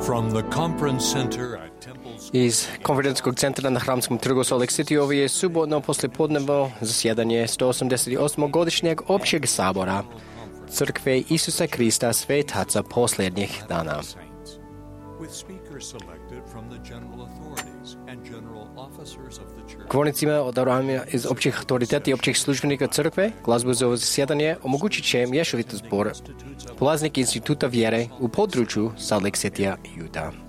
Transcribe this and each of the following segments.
From the conference center at Temple's Iz konferencijskog centra na Hramskom trgu Salt Lake City ovo je subotno poslijepodnevno zasjedanje 188. godišnjeg općeg sabora Crkve Isusa Krista Svetaca posljednjih dana. with speakers selected from the general authorities and general officers of the church. Govornicima odabrani iz općih autoriteta i općih službenika crkve, glazbu za ovo zasjedanje omogućit će mješoviti zbor polaznik instituta vjere u području Salt Lake City-a, Utah.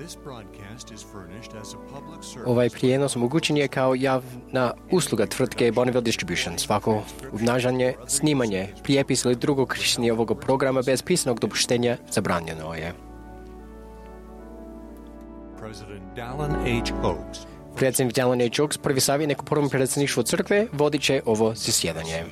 This broadcast is furnished as a public service. Ovaj prijenos omogućen je kao javna usluga tvrtke Bonneville Distribution. Svako obnašanje, snimanje, prijepis ili drugo korištenje ovog programa bez pisanog dopuštenja zabranjeno je. President Dallin H. Oaks Predsjednik Dallin H. Oaks, prvi savjetnik u prvom predsjedništvu crkve, vodit će ovo zasjedanje.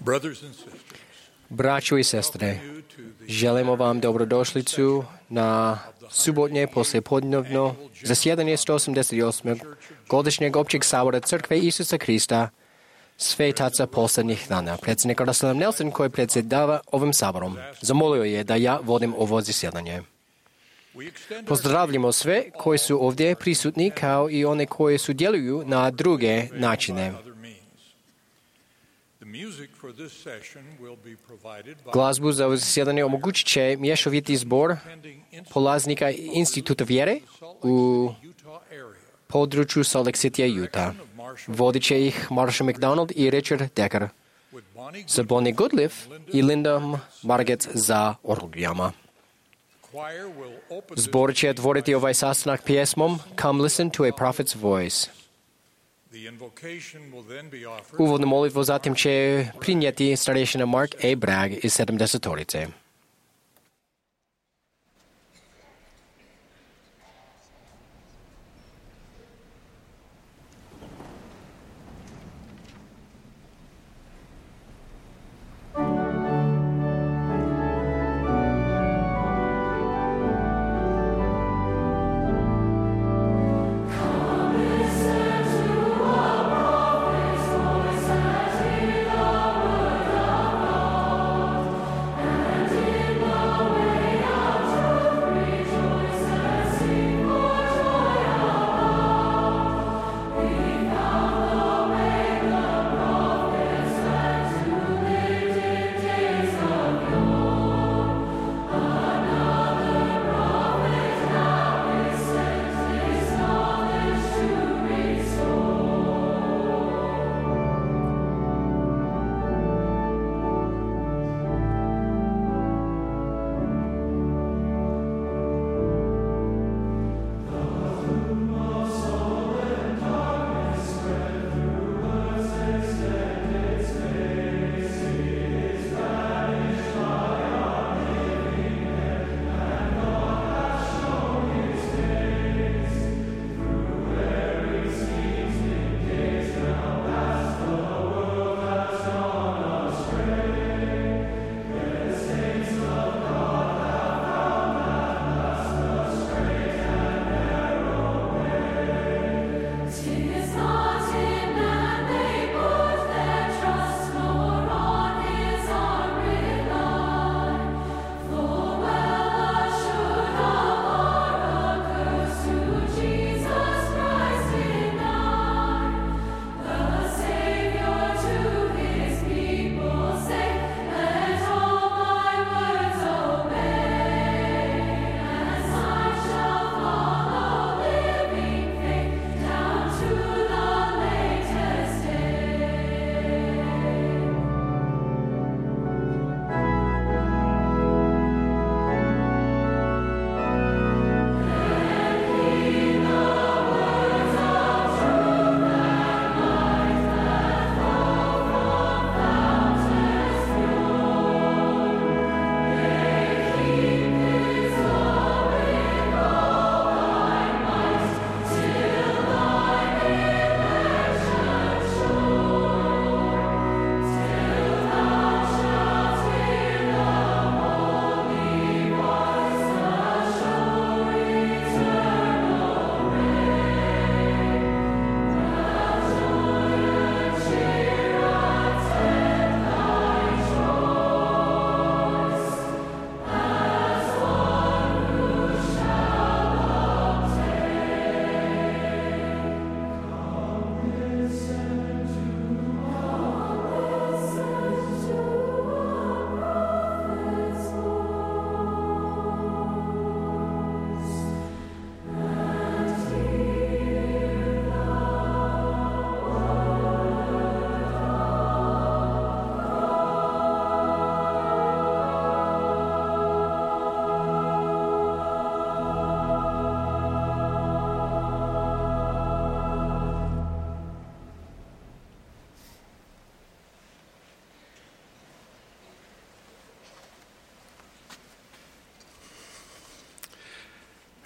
Brothers and sisters, Braćo i sestre, želimo vam dobrodošlicu na subotnje poslijepodnevno zasjedanje 188. godišnjeg općeg sabora Crkve Isusa Krista Svetaca posljednjih dana. Predsjednik Russell Nelson, koji predsjedava ovim saborom, zamolio je da ja vodim ovo zasjedanje. Pozdravljamo sve koji su ovdje prisutni, kao i one koji sudjeluju na druge načine. Glazbu za ovo zasjedanje omogućit će mješoviti zbor polaznika Instituta vjere u području Salt Lake City, Utah. Vodit će ih Marsha McDonald i Richard Decker, sa Bonnie Goodliff i Linda Marget za orgijama. Zbor će otvoriti ovaj sastanak pjesmom Come Listen to a Prophet's Voice. Uvodnu molitvu zatim će prinijeti starješina Mark A. Bragg iz 70-torice. And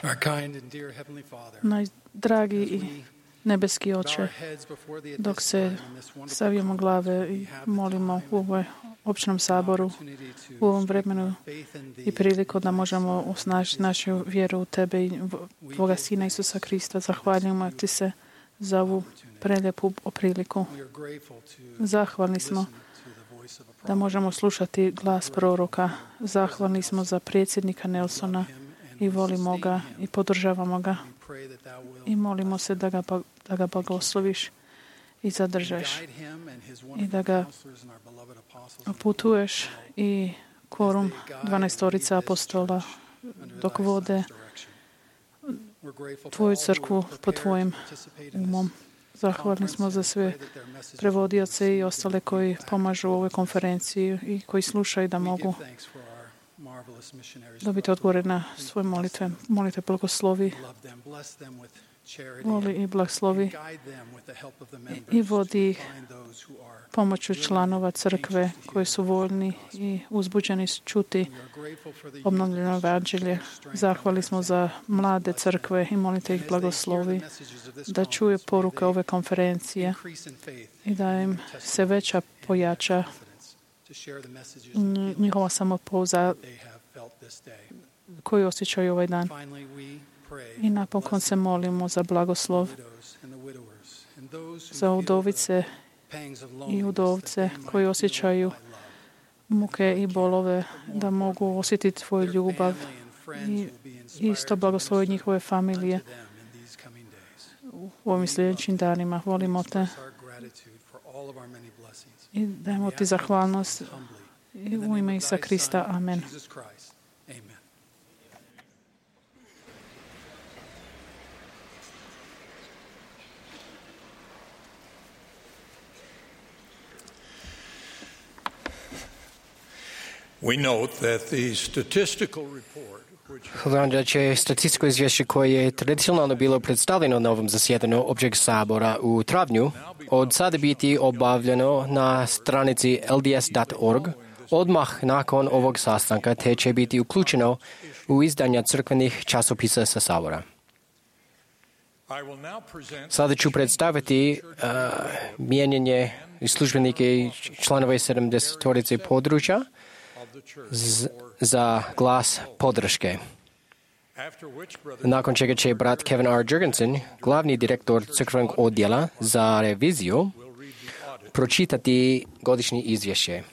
Our kind and dear Heavenly Father, Dragi i nebeski Oče, dok se stavimo glave i molimo u ovoj općnom saboru, u ovom vremenu i priliku da možemo osnažiti našu vjeru u Tebe i Tvoga Sina Isusa Krista, zahvaljujemo Ti se za ovu prelijepu priliku. Zahvalni smo da možemo slušati glas proroka. Zahvalni smo za predsjednika Nelsona i volimo ga i podržavamo ga. I molimo se da ga blagosloviš i zadržaš i da ga putuješ i kvorum 12 apostola dok vode Tvoju crkvu po Tvojim umom. Zahvalni smo za sve prevodioce i ostale koji pomažu u ovoj konferenciji i koji slušaju da mogu dobiti odgovore na svoje molitve. Molite blagoslovi, voli i blagoslovi i vodi ih pomoću članova crkve koji su voljni i uzbuđeni čuti obnovljeno evanđelje. Zahvali smo za mlade crkve i molite ih blagoslovi da čuje poruke ove konferencije i da im se veća pojača njihova samopouzdanja koju osjećaju ovaj dan. I napokon se molimo za blagoslov za udovice i udovce koji osjećaju muke i bolove, da mogu osjetiti Tvoju ljubav i isto blagoslovi njihove familije u ovim sljedećim danima. Volimo Te i dajemo Ti zahvalnost u ime Isusa Krista. Amen. We note that the statistical report Da će statističko izvješće koje je tradicionalno bilo predstavljeno na ovom zasjedanju općeg sabora u travnju od sada biti obavljeno na stranici lds.org odmah nakon ovog sastanka, te će biti uključeno u izdanja crkvenih časopisa sa sabora. Sada ću predstaviti mijenjanje službenike i članove 70-torice područja za glas podrške. Nakon čega će brat Kevin R. Jurgensen, glavni direktor crkvenog odjela za reviziju, pročitati godišnje izvješće.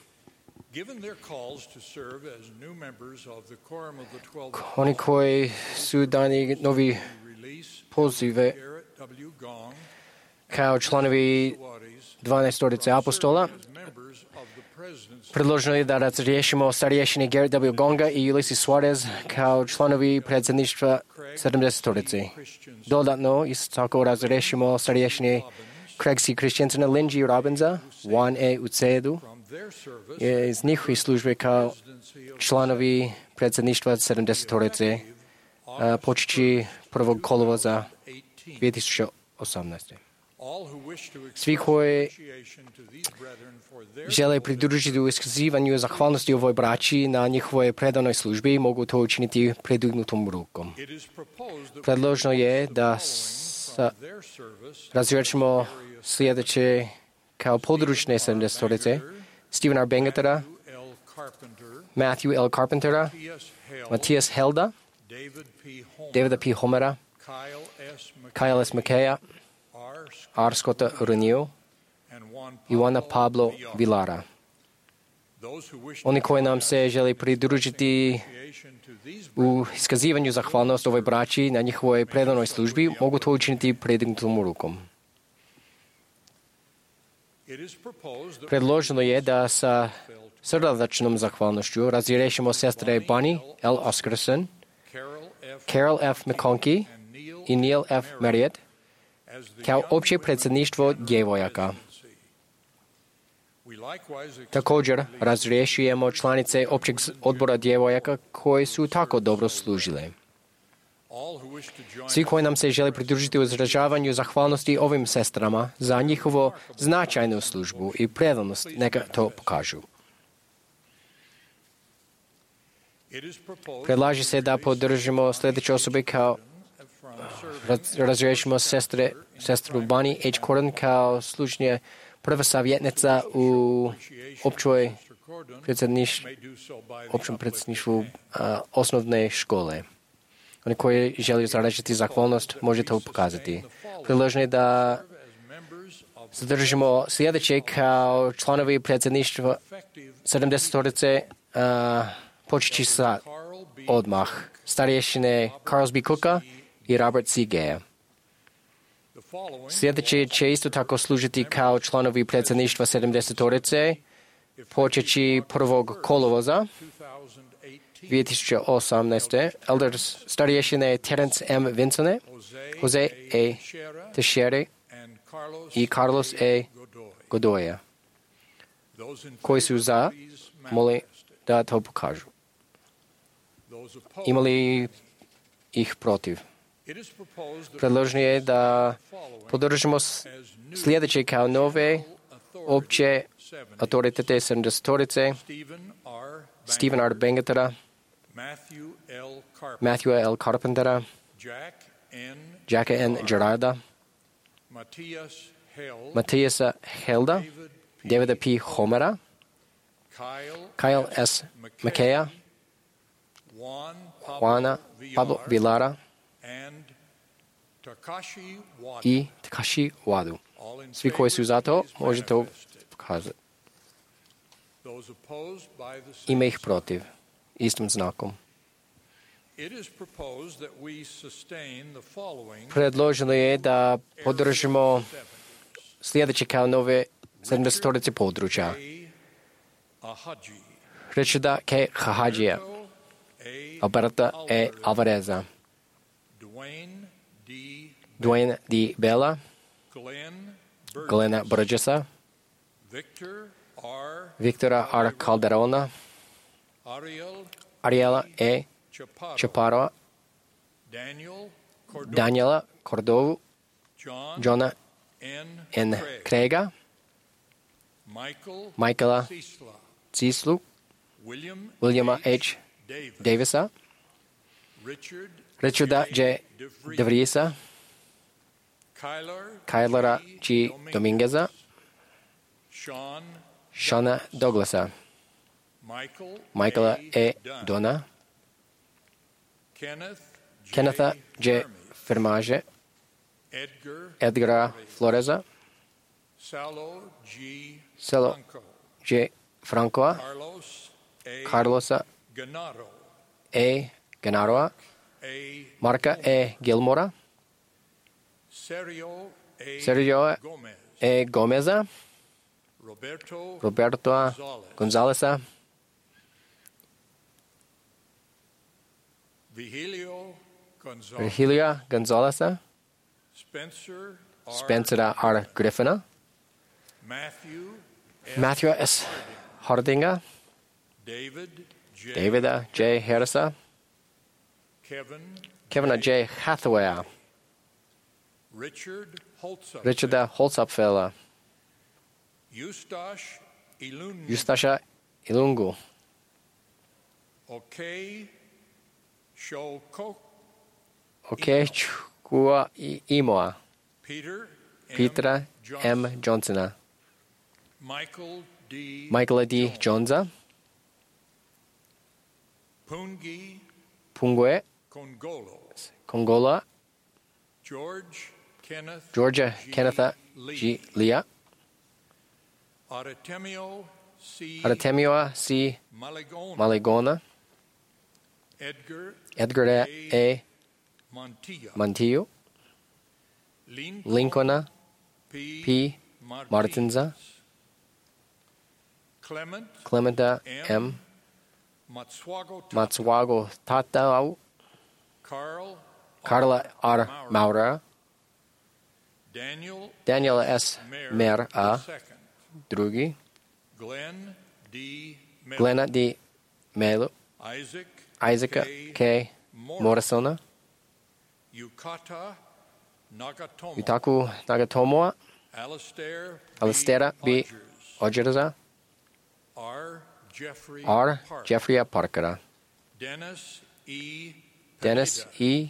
Oni koji su dani novi pozive kao članovi 12 apostola, predloženo je da razriješimo starješine Garrett W. Gonga i Ulysses Suarez kao članovi predsjedništva 70-torice. Dodatno, isto tako razriješimo starješine Craig C. Christiansena, Lynn G. Robinsa, Juan E. Ucedu iz njihovih službe kao članovi predsjedništva 70-torice počeći 1. kolovoza 2018. Svi koji žele pridružiti u iskazivanju zahvalnosti ovoj braći na njihovoj predanoj službi mogu to učiniti predignutom rukom. Predloženo je da razriješimo sljedeće kao područne 70-torice: Stephen R. Bengetera, Matthew L. Carpentera, Matthias Helda, Davida P. Homera, Kyle S. McKaya, R. Scotta Renew i Juana Pablo Vilara. Oni koji nam se žele pridružiti u iskazivanju zahvalnosti ovoj braći na njihovoj predanoj službi mogu to učiniti predignutom rukom. Predloženo je da sa srdačnom zahvalnošću razriješimo sestre Bonnie L. Oscarson, Carol F. McConkie i Neil F. Marriott kao opće predsjedništvo djevojaka. Također razriješujemo članice općeg odbora djevojaka koje su tako dobro služile. Svi koji nam se žele pridružiti u izražavanju zahvalnosti ovim sestrama za njihovu značajnu službu i predanost, neka to pokažu. Predlaže se da podržimo sljedeće osobe kao razriješimo sestru Bunny H. Corden kao služnje prva savjetnica u općem predsjedništvu osnovne škole. Oni koji žele izraziti zahvalnost, može to pokazati. Predloženo je da zadržimo sljedeće kao članovi predsjedništva 70-torice počeći sa odmah. Starješine Carls B. Cooka i Robert C. Gaya. Sljedeće će isto tako služiti kao članovi predsjedništva 70-torice počeći 1. kolovoza 2018. Elders starješine Terence M. Vincone, Jose A. Teixeira i Carlos A. Godoya. Koji su za, molim da to pokažu. Ima li ih protiv? Predloženo je da podržimo sljedeće kao nove opće autoritete 70-torice Stephen R. Bengetera, Matthew L. Carpentera, Jacka N. Gerarda, Matthiasa Helda, Davida P. Homera, Kyle S. McKaya, Juana Pablo Vilara i Takashi Wadu. Svi koji su za to, možete to pokazati. Ima ih protiv, istim znakom. Predloženo je da podržimo sljedeće kao nove 70-torice područja. Richarda K. Hahadžija, Alberta E. Alvareza, Dwayne D. Bella, Glena Burgessa, Victora R. Calderona, Ariela E. Chaparro, Daniela Cordovu, Johna N. Craiga, Michaela Cislu, Williama H. Davisa, Richarda J. DeVriesa, Kylera G. Domingueza, Shana Douglasa, Michaela E. Donna, Kennetha J. Fermage, Edgara Floreza, Celo J. Francoa, Carlosa E. Ganaroa, Marka E. Gilmora, Sergio E. Gomeza, Roberto Gonzalesa, Virgilio Gonzalesa, Spencer R. Griffina, Matthew S. Hardinga, David J. Harrisa, Kevin J. Hathaway, Richard Holzapfel, Eustacia Ilungu, Chukua Imoa, Petra M. Johnsona, Michael D. Jonesa, Pungue Kongola, Georgia Kennetha G. Leah, Artemio C. Maligona, Edgar A. Montillo, Lincoln P. Martinza, Clementa M. Matsuago Tatao, Carla R. Maurer, Daniel S. Mer A. Drugi, Glena D. Melo, Isaac K. Morrisona, Yutaku Nagatomoa, Alistair B. Odgerza, R. Jeffrey Parkera, Dennis E.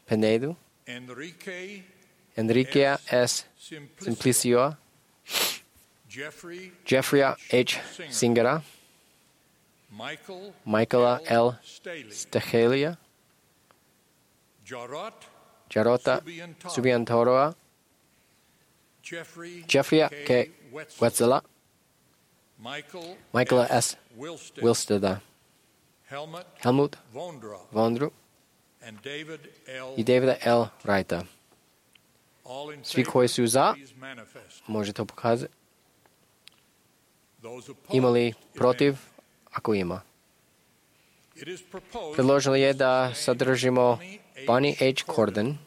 Penedo, Enriquea S. Simplicio, Jeffrey H. Singera, Michaela L. Stachelia, Jarota Subiantoroa, Jeffrey K. Wetzela, Michaela S. Wilsteda, Helmut Vondru i Davida L. Wrighta. Svi koji su za, može to pokazati. Ima li protiv? Ako ima. Predloženo je da sadržimo Bonnie H. Corden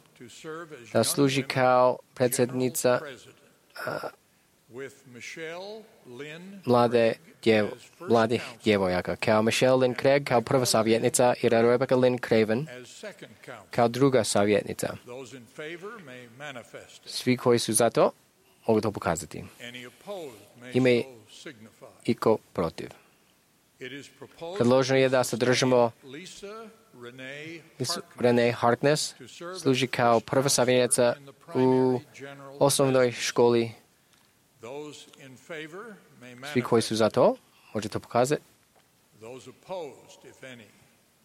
da služi kao predsjednica mladih djevojaka, kao Michelle Lynn Craig kao prva savjetnica i Rebecca Lynn Craven kao druga savjetnica. Svi koji su za to mogu to pokazati. Ima i ko protiv. Predloženo je da sadržimo Renee Harkness služi kao prva savjetnica u osnovnoj školi. Svi koji su za to, može to pokazati.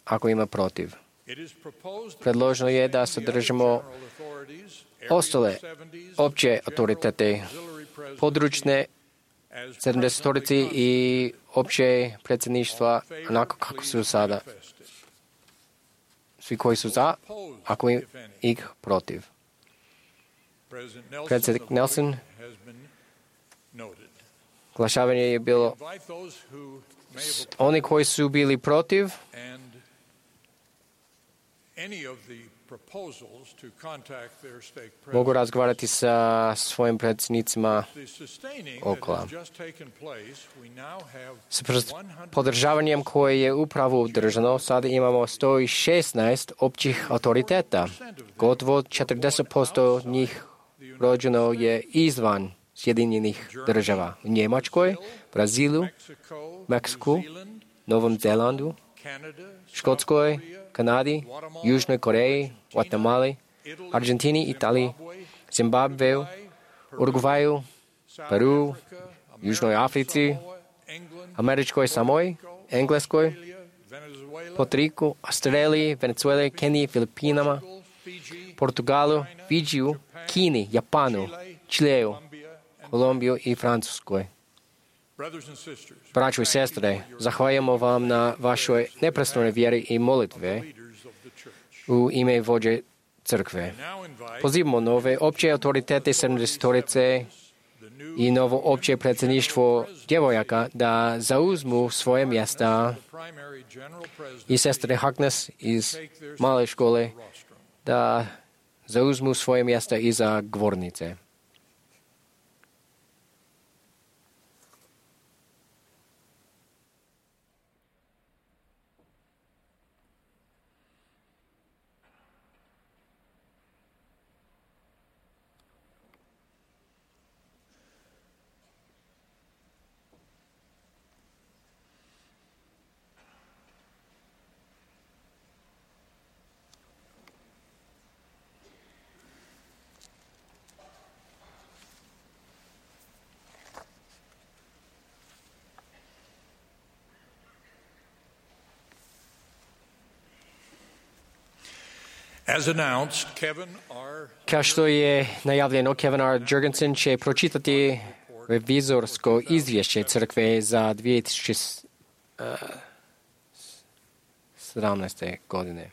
Ako ima protiv. Predloženo je da sadržimo ostale opće autoritete, područne 70-torici i opće predsjedništva onako kako su sada. Svi koji su za, ako ih protiv. Predsjednik Nelson, glašavanje je bilo oni koji su bili protiv mogu razgovarati sa svojim predsjednicima okolo. S podržavanjem koje je upravo održano, sada imamo 116 općih autoriteta. Gotovo 40% njih rođeno je izvan Sjedinjenih država. U Njemačkoj, Brazilu, Meksiku, Novom Zelandu, Škotskoj, Kanadi, Južnoj Koreji, Guatemali, Argentini, Italiji, Zimbabveu, Urugvaju, Peru, Južnoj Africi, Američkoj Samoji, Engleskoj, Puerto Australiji, Venezueli, Keniji, Filipinama, Portugalu, Fidžiju, Kini, Japanu, Čileu, Kolumbiju i Francuskoj. Braćo i sestre, zahvaljujemo vam na vašoj neprestanoj vjeri i molitve u ime vođe crkve. Pozivamo nove opće autoritete 70-torice i novo opće predsjedništvo djevojaka da zauzmu svoje mjesta i sestre Harkness iz male škole da zauzmu svoje mjesta iza govornice. Kao što je najavljeno, Kevin R. Jurgensen će pročitati revizorsko izvješće crkve za 2017. godine.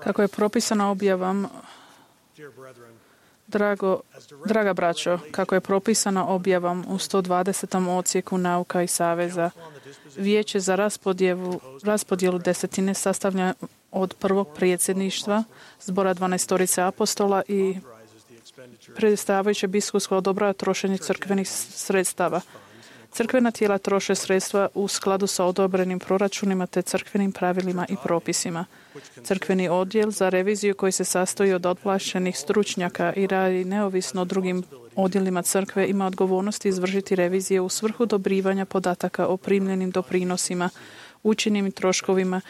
Kako je propisano objavom, draga braćo, kako je propisano objavom u 120. odsjeku Nauka i saveza, Vijeće za raspodjelu desetine sastavlja od prvog predsjedništva, zbora 12 apostola i predstavljajuće biskupsko odobrava trošenje crkvenih sredstava. Crkvena tijela troše sredstva u skladu sa odobrenim proračunima te crkvenim pravilima i propisima. Crkveni odjel za reviziju koji se sastoji od otplaćenih stručnjaka i radi neovisno o drugim odjelima crkve ima odgovornost izvršiti revizije u svrhu dobrivanja podataka o primljenim doprinosima, učinjenim troškovima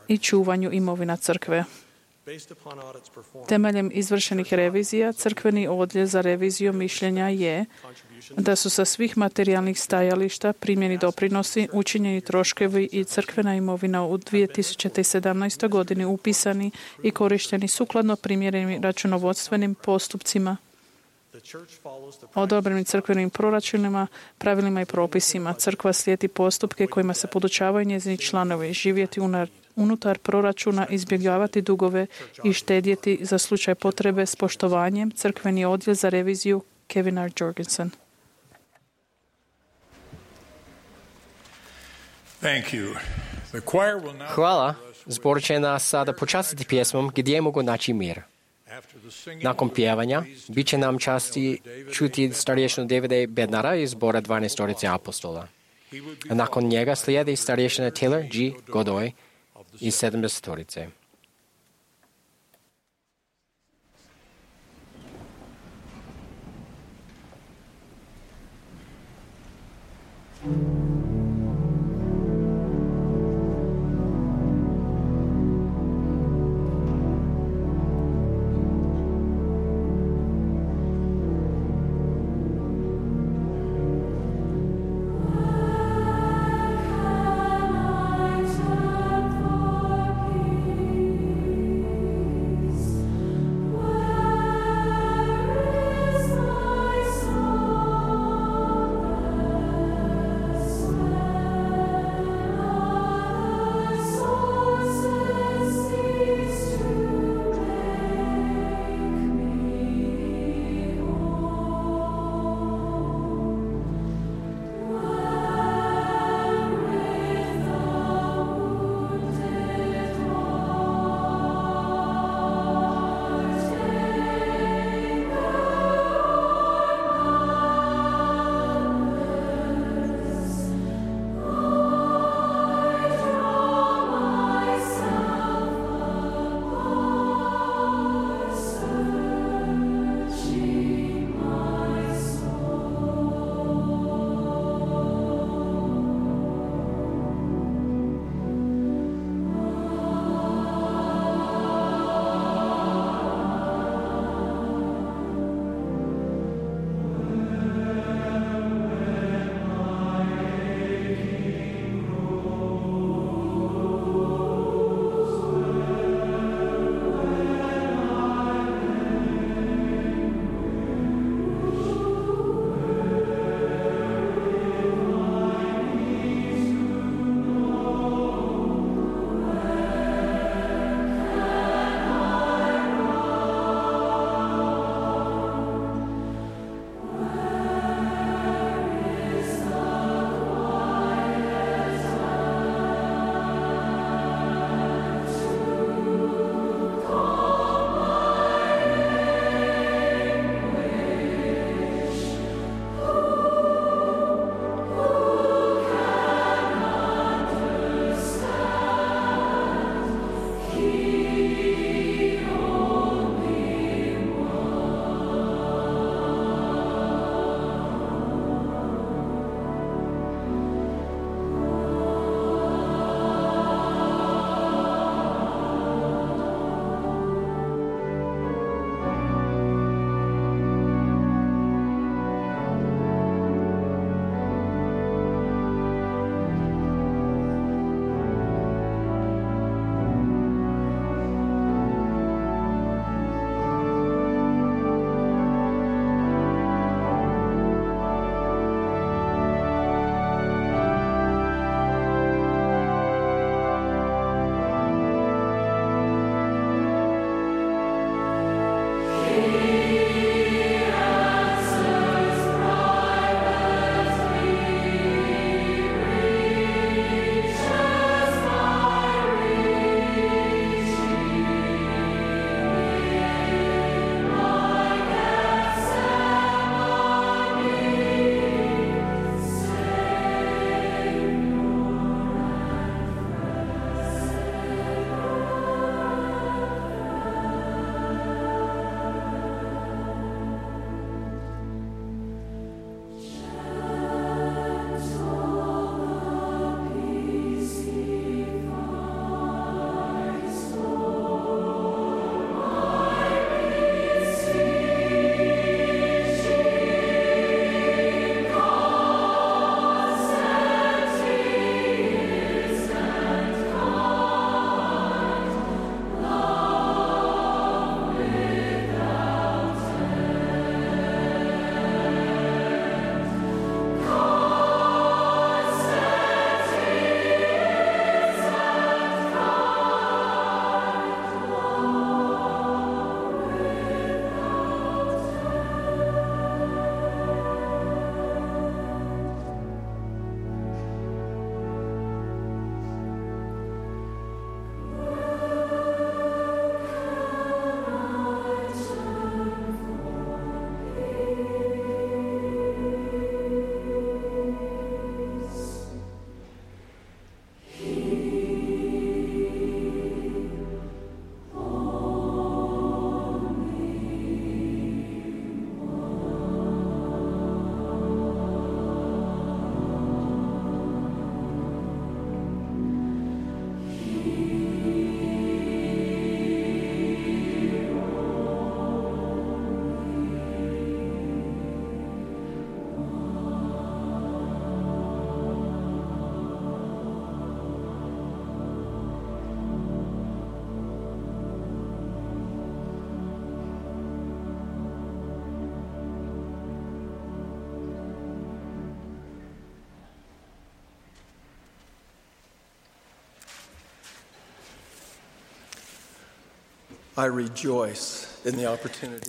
i čuvanju imovina crkve. Temeljem izvršenih revizija, crkveni odjel za reviziju mišljenja je da su sa svih materijalnih stajališta primljeni doprinosi, učinjeni troškovi i crkvena imovina u 2017. godini upisani i korišteni sukladno primjerenim računovodstvenim postupcima, odobrenim crkvenim proračunima, pravilima i propisima. Crkva slijedi postupke kojima se podučavaju njezini članovi, živjeti unutar proračuna, izbjegavati dugove i štedjeti za slučaj potrebe s poštovanjem. Crkveni odjel za reviziju Kevin R. Jorgensen. Hvala. Zbor će nas sada počastiti pjesmom Gdje mogu naći mir. Nakon pjevanja, bit će nam časti čuti starješinu Davida Bednara iz zbora 12 apostola. A nakon njega slijedi starješina Taylor G. Godoy iz 70.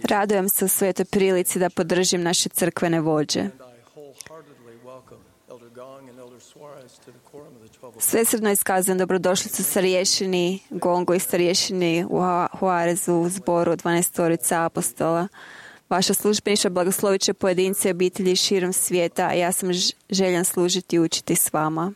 Radujem se u svetoj prilici da podržim naše crkvene vođe. Svesrdno iskazujem dobrodošlicu starješini Gongu i starješini Juarezu u zboru 12 apostola. Vaša službeniša blagoslovit će pojedince i obitelji širom svijeta, a ja sam željan služiti i učiti s vama.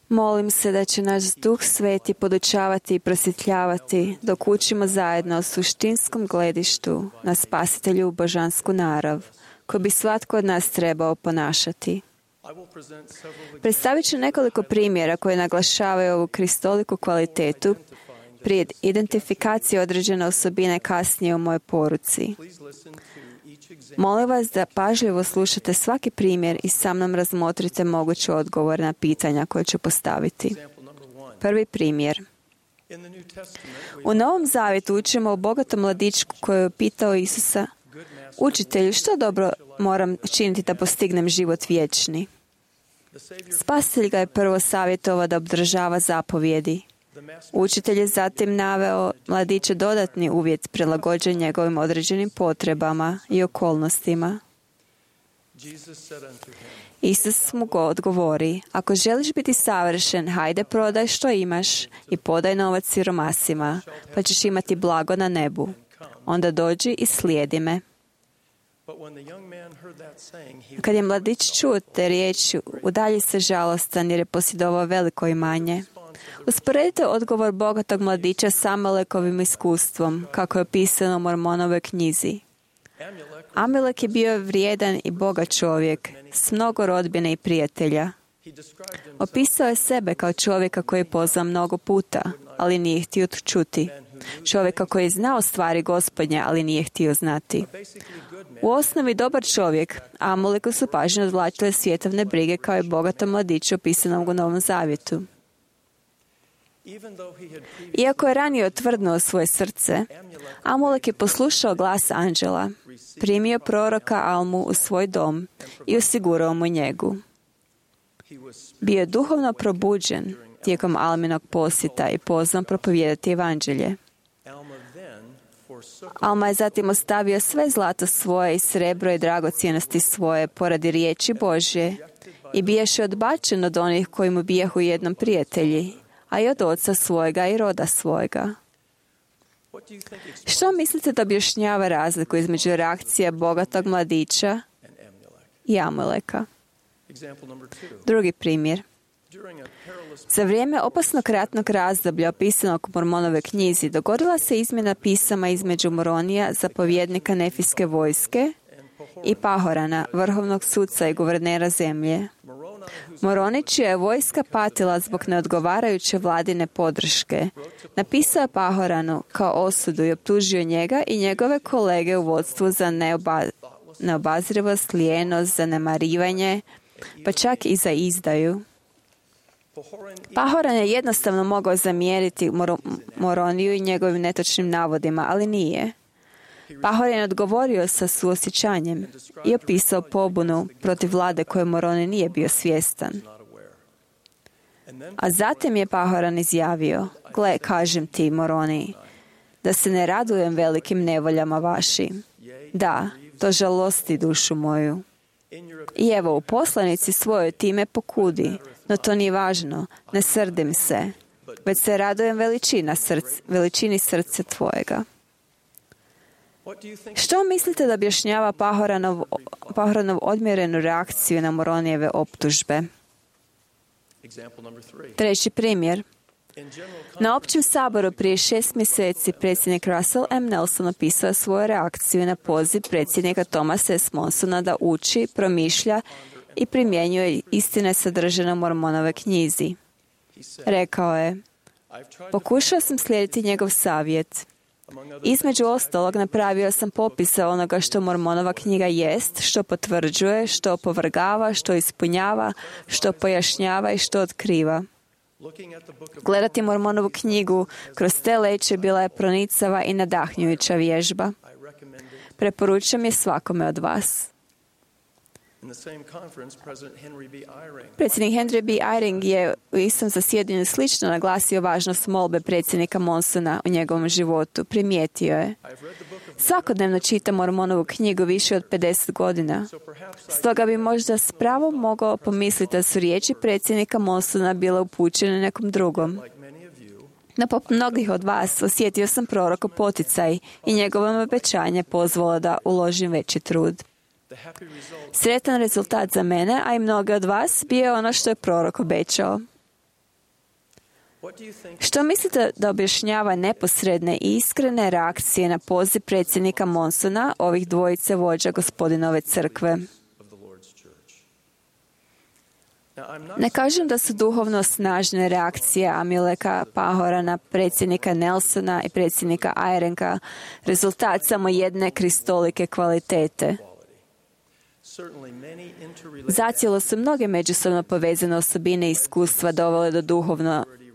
Molim se da će naš Duh Sveti podučavati i prosvjetljavati dok učimo zajedno o suštinskom gledištu na Spasitelju božansku narav, koju bi svatko od nas trebao ponašati. Predstavit ću nekoliko primjera koji naglašavaju ovu kristoliku kvalitetu prije identifikacije određene osobine kasnije u mojoj poruci. Molim vas da pažljivo slušate svaki primjer i sa mnom razmotrite moguće odgovore na pitanja koje ću postaviti. Prvi primjer. U Novom Zavjetu učimo o bogatom mladićku koji je pitao Isusa: Učitelju, što dobro moram činiti da postignem život vječni? Spasitelj ga je prvo savjetovao da obdržava zapovjedi. Učitelj je zatim naveo mladiće dodatni uvjet prilagođen njegovim određenim potrebama i okolnostima. Isus mu odgovori: Ako želiš biti savršen, hajde prodaj što imaš i podaj novac siromasima, pa ćeš imati blago na nebu. Onda dođi i slijedi me. Kad je mladić čuo te riječi, udalji se žalostan jer je posjedovao veliko imanje. Usporedite odgovor bogatog mladića s Amalekovim iskustvom, kako je opisano u Mormonovoj knjizi. Amelek je bio vrijedan i bogat čovjek, s mnogo rodbine i prijatelja. Opisao je sebe kao čovjeka koji je pozvao mnogo puta, ali nije htio čuti. Čovjeka koji je znao stvari Gospodnje, ali nije htio znati. U osnovi dobar čovjek, Amaleku su pažnju odvlačile svjetovne brige kao i bogatom mladiću opisanom u Novom Zavjetu. Iako je ranije otvrdnuo svoje srce, Amalek je poslušao glas anđela, primio proroka Almu u svoj dom i osigurao mu njegu. Bio je duhovno probuđen tijekom Alminog posjeta i pozvan propovijedati evanđelje. Alma je zatim ostavio sve zlato svoje i srebro i dragocjenosti svoje poradi riječi Božje i biješe odbačen od onih koji mu bijahu jednom prijatelji, a i od oca svojega i roda svojega. Što mislite da objašnjava razliku između reakcije bogatog mladića i Amaleka? Drugi primjer. Za vrijeme opasnog ratnog razdoblja opisanog u Mormonove knjizi dogodila se izmjena pisama između Moronija, zapovjednika Nefijske vojske, i Pahorana, vrhovnog sudca i guvernera zemlje. Moroni, čija je vojska patila zbog neodgovarajuće vladine podrške, napisao je Pahoranu kao osudu i optužio njega i njegove kolege u vodstvu za neobazrivost, lijenost, zanemarivanje, pa čak i za izdaju. Pahoran je jednostavno mogao zamjeriti Moroniju i njegovim netočnim navodima, ali nije. Pahoran je odgovorio sa suosjećanjem i opisao pobunu protiv vlade koje Moroni nije bio svjestan. A zatim je Pahoran izjavio: Gle, kažem ti, Moroni, da se ne radujem velikim nevoljama vašim. Da, to žalosti dušu moju. I evo, u poslanici svojoj time pokudi, no to nije važno, ne srdim se, već se radujem veličini srca tvojega. Što mislite da objašnjava Pahoranov odmjerenu reakciju na Moronijeve optužbe? Treći primjer. Na općem saboru prije 6 mjeseci predsjednik Russell M. Nelson opisao svoju reakciju na poziv predsjednika Thomasa S. Monsona da uči, promišlja i primjenjuje istine sadržane u Mormonove knjizi. Rekao je: Pokušao sam slijediti njegov savjet. Između ostalog, napravio sam popise onoga što Mormonova knjiga jest, što potvrđuje, što opovrgava, što ispunjava, što pojašnjava i što otkriva. Gledati Mormonovu knjigu kroz te leće bila je pronicava i nadahnjujuća vježba. Preporučujem je svakome od vas. Predsjednik Henry B. Eyring je u istom zasjedanju slično naglasio važnost molbe predsjednika Monsona u njegovom životu. Primijetio je: svakodnevno čitam Mormonovu knjigu više od 50 godina. Stoga bi možda s pravom mogao pomisliti da su riječi predsjednika Monsona bile upućene nekom drugom. No, poput mnogih od vas, osjetio sam prorokov poticaj i njegovo obećanje pozvalo da uložim veći trud. Sretan rezultat za mene, a i mnoge od vas, bio je ono što je prorok obećao. Što mislite da objašnjava neposredne i iskrene reakcije na poziv predsjednika Monsona, ovih dvojice vođa Gospodinove crkve? Ne kažem da su duhovno snažne reakcije Amileka Pahorana, predsjednika Nelsona i predsjednika Eyringa rezultat samo jedne kristolike kvalitete. Zacijelo su mnoge međusobno povezane osobine i iskustva dovele do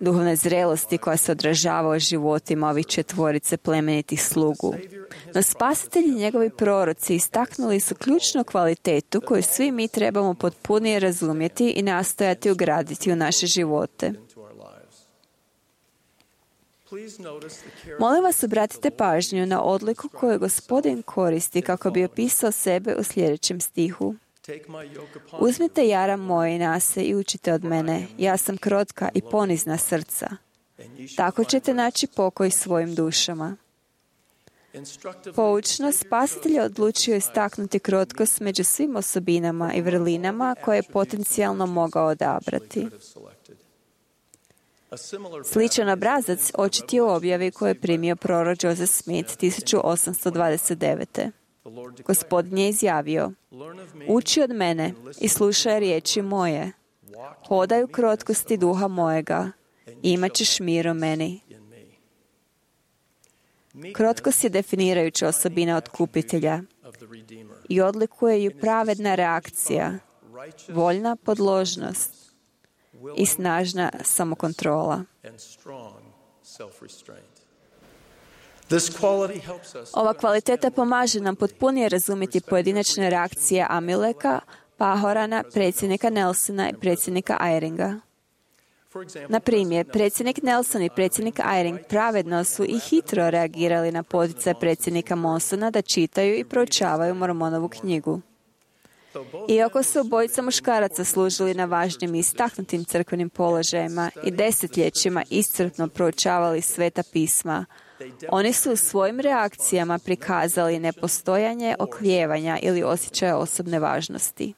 duhovne zrelosti koja se odražava u životima ovih četvorice plemenitih slugu. No spasitelji i njegovi proroci istaknuli su ključnu kvalitetu koju svi mi trebamo potpunije razumjeti i nastojati ugraditi u naše živote. Molim vas, obratite pažnju na odliku koju Gospodin koristi kako bi opisao sebe u sljedećem stihu. Uzmite jaram moj na se i učite od mene. Ja sam krotka i ponizna srca. Tako ćete naći pokoj svojim dušama. Poučno, spasitelj je odlučio istaknuti krotkost među svim osobinama i vrlinama koje je potencijalno mogao odabrati. Sličan obrazac očit je u objavi koju je primio prorok Joseph Smith 1829. Gospodin je izjavio: uči od mene i slušaj riječi moje. Hodaj u krotkosti duha mojega i imat ćeš mir u meni. Krotkost je definirajuća osobina otkupitelja i odlikuje ju pravedna reakcija, voljna podložnost i snažna samokontrola. Ova kvaliteta pomaže nam potpunije razumjeti pojedinačne reakcije Amileka, Pahorana, predsjednika Nelsona i predsjednika Eyringa. Na primjer, predsjednik Nelson i predsjednik Eyring pravedno su i hitro reagirali na poticaj predsjednika Monsona da čitaju i proučavaju Mormonovu knjigu. Iako su obojica muškaraca služili na važnim i istaknutim crkvenim položajima i desetljećima iscrpno proučavali sveta pisma, oni su u svojim reakcijama prikazali nepostojanje oklijevanja ili osjećaja osobne važnosti.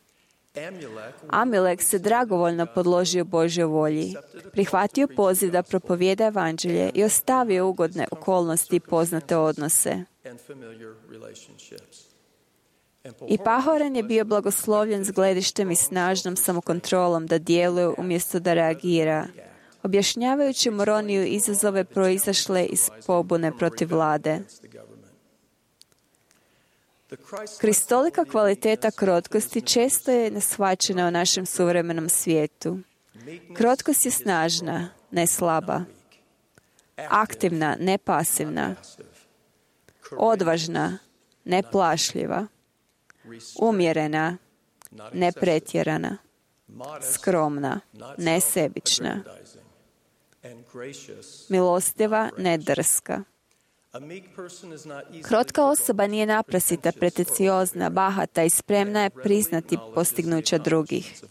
Amilek se dragovoljno podložio Božjoj volji, prihvatio poziv da propovijeda evanđelje i ostavio ugodne okolnosti i poznate odnose. I Pahoran je bio blagoslovljen s gledištem i snažnom samokontrolom da djeluje umjesto da reagira, objašnjavajući Moroniju izazove proizašle iz pobune protiv vlade. Kristolika kvaliteta krotkosti često je neshvaćena u našem suvremenom svijetu. Krotkost je snažna, ne slaba. Aktivna, ne pasivna. Odvažna, ne plašljiva. Umjerena, ne pretjerana. Skromna, ne sebična. Milostiva, ne drska. Krotka osoba nije naprasita, pretenciozna, bahata i spremna je priznati postignuća drugih.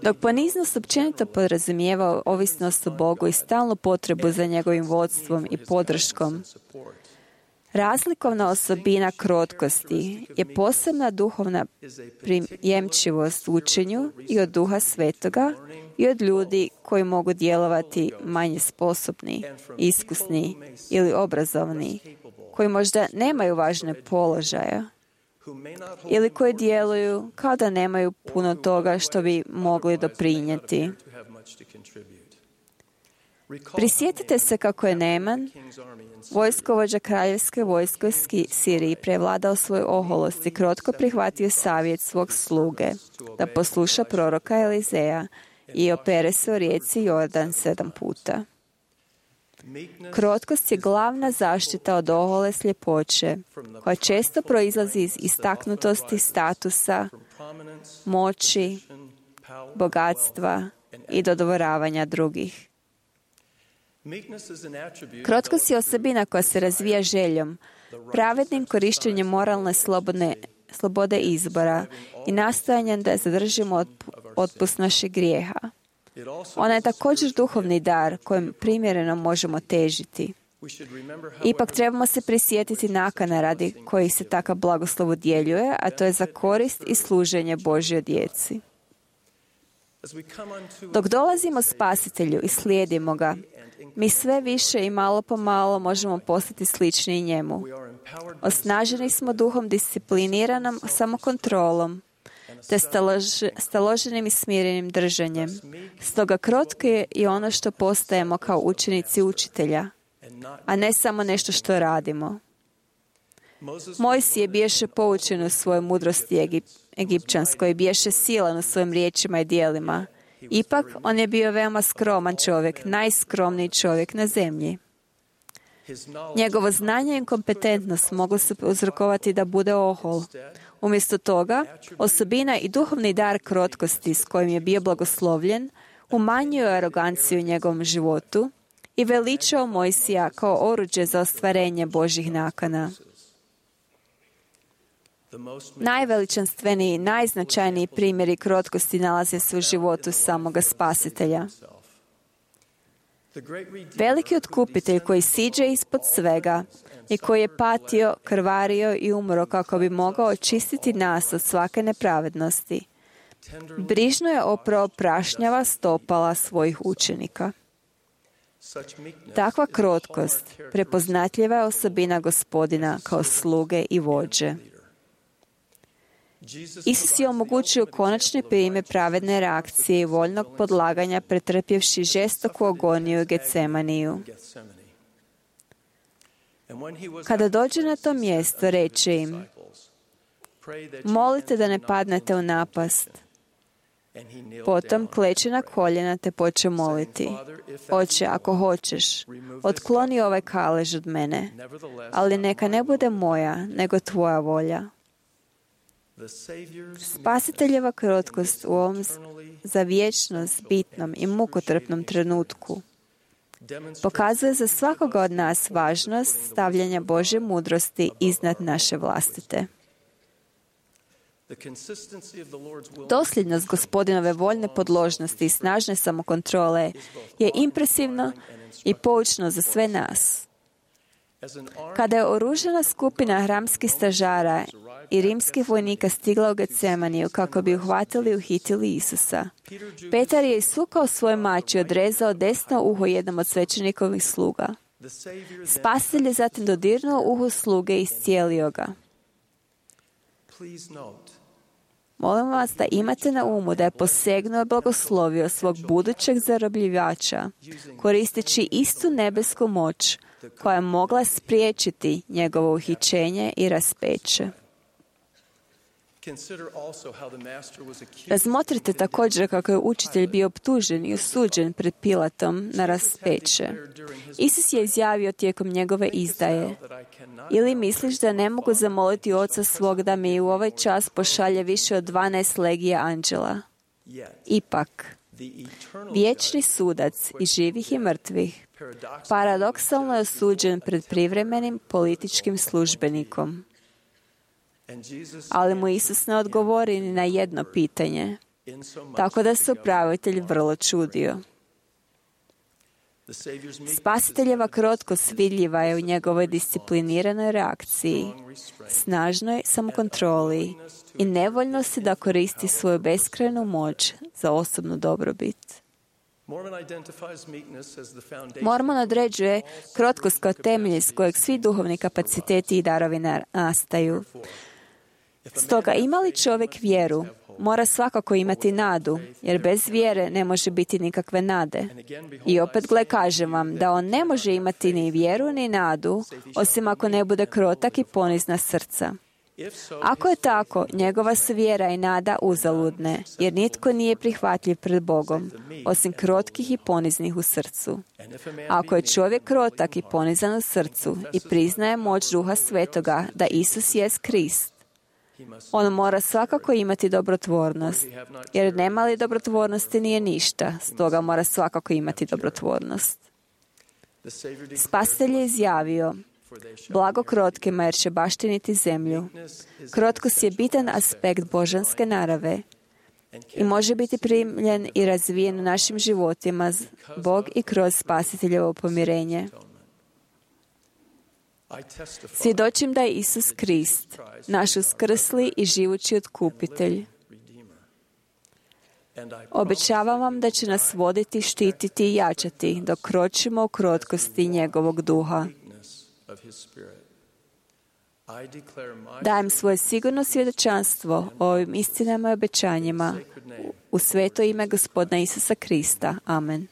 Dok poniznost općenito podrazumijeva ovisnost o Bogu i stalnu potrebu za njegovim vodstvom i podrškom, razlikovna osobina krotkosti je posebna duhovna prijemčivost učenju i od Duha Svetoga i od ljudi koji mogu djelovati manje sposobni, iskusni ili obrazovni, koji možda nemaju važne položaje ili koji djeluju kao da nemaju puno toga što bi mogli doprinijeti. Prisjetite se kako je Neman, vojskovođa kraljevske vojske u Siriji, prevladao svoju oholost i krotko prihvatio savjet svog sluge da posluša proroka Elizeja i opere se u rijeci Jordan 7 puta. Krotkost je glavna zaštita od ohole sljepoće, koja često proizlazi iz istaknutosti statusa, moći, bogatstva i dodvoravanja drugih. Krotkost je osobina koja se razvija željom, pravednim korištenjem moralne slobode izbora i nastojanjem da zadržimo otpust naših grijeha. Ona je također duhovni dar kojem primjereno možemo težiti. Ipak trebamo se prisjetiti nakana radi kojih se takav blagoslov udjeljuje, a to je za korist i služenje Božjoj djeci. Dok dolazimo Spasitelju i slijedimo ga, mi sve više i malo po malo možemo postati slični njemu. Osnaženi smo duhom discipliniranom samokontrolom, te staloženim i smirenim držanjem. Stoga krotko je ono što postajemo kao učenici učitelja, a ne samo nešto što radimo. Mojsije biješe poučen u svojoj mudrosti egipćanskoj i biješe silan u svojim riječima i djelima. Ipak, on je bio veoma skroman čovjek, najskromniji čovjek na zemlji. Njegovo znanje i kompetentnost moglo se uzrokovati da bude ohol. Umjesto toga, osobina i duhovni dar krotkosti s kojim je bio blagoslovljen umanjio aroganciju u njegovom životu i veličao Mojsija kao oruđe za ostvarenje Božjih nakana. Najveličanstveniji i najznačajniji primjeri krotkosti nalaze se u životu samoga Spasitelja. Veliki otkupitelj koji siđe ispod svega i koji je patio, krvario i umro kako bi mogao očistiti nas od svake nepravednosti. Brižno je oprao prašnjava stopala svojih učenika. Takva krotkost prepoznatljiva je osobina Gospodina kao sluge i vođe. Isus je omogućio konačni primjer pravedne reakcije i voljnog podlaganja pretrpjevši žestoku agoniju u Getsemaniju. Kada dođe na to mjesto, reče im: molite da ne padnete u napast. Potom kleče na koljena te poče moliti: Oče, ako hoćeš, otkloni ovaj kalež od mene, ali neka ne bude moja, nego tvoja volja. Spasiteljeva krotkost u ovom za vječnost bitnom i mukotrpnom trenutku pokazuje za svakoga od nas važnost stavljanja Božje mudrosti iznad naše vlastite. Dosljednost Gospodinove voljne podložnosti i snažne samokontrole je impresivno i poučno za sve nas. Kada je oružana skupina hramskih stražara i rimskih vojnika stigla u Getsemaniju kako bi uhvatili i uhitili Isusa, Petar je isukao svoj mač i odrezao desno uho jednom od svećenikovih sluga. Spasitelj je zatim dodirnuo uho sluge i iscijelio ga. Molim vas da imate na umu da je posegnuo i blagoslovio svog budućeg zarobljivača, koristeći istu nebesku moć koja je mogla spriječiti njegovo uhićenje i raspeće. Razmotrite također kako je učitelj bio optužen i osuđen pred Pilatom na raspeće. Isus je izjavio tijekom njegove izdaje: ili misliš da ne mogu zamoliti Oca svog da mi u ovaj čas pošalje više od 12 legija anđela? Ipak, vječni sudac i živih i mrtvih paradoksalno je osuđen pred privremenim političkim službenikom. Ali mu Isus ne odgovori ni na jedno pitanje, tako da se upravitelj vrlo čudio. Spasiteljeva krotkost vidljiva je u njegovoj discipliniranoj reakciji, snažnoj samokontroli i nevoljnosti da koristi svoju beskrajnu moć za osobnu dobrobit. Mormon određuje krotkost kao temelj s kojeg svi duhovni kapaciteti i darovi nastaju. Stoga, ima li čovjek vjeru, mora svakako imati nadu, jer bez vjere ne može biti nikakve nade. I opet, kažem vam da on ne može imati ni vjeru ni nadu, osim ako ne bude krotak i ponizna srca. Ako je tako, njegova su vjera i nada uzaludne, jer nitko nije prihvatljiv pred Bogom, osim krotkih i poniznih u srcu. Ako je čovjek krotak i ponizan u srcu i priznaje moć Duha Svetoga da Isus jest Krist, on mora svakako imati dobrotvornost, jer nema li dobrotvornosti nije ništa, stoga mora svakako imati dobrotvornost. Spasitelj je izjavio: blago krotkima jer će baštiniti zemlju. Krotkost je bitan aspekt božanske narave i može biti primljen i razvijen u našim životima Bog i kroz spasiteljevo pomirenje. Svjedočim da je Isus Krist, naš uskrsli i živući otkupitelj. Obećavam vam da će nas voditi, štititi i jačati dok kročimo u krotkosti njegovog duha. Dajem svoje sigurno svjedočanstvo o ovim istinama i obećanjima u sveto ime Gospodina Isusa Krista. Amen.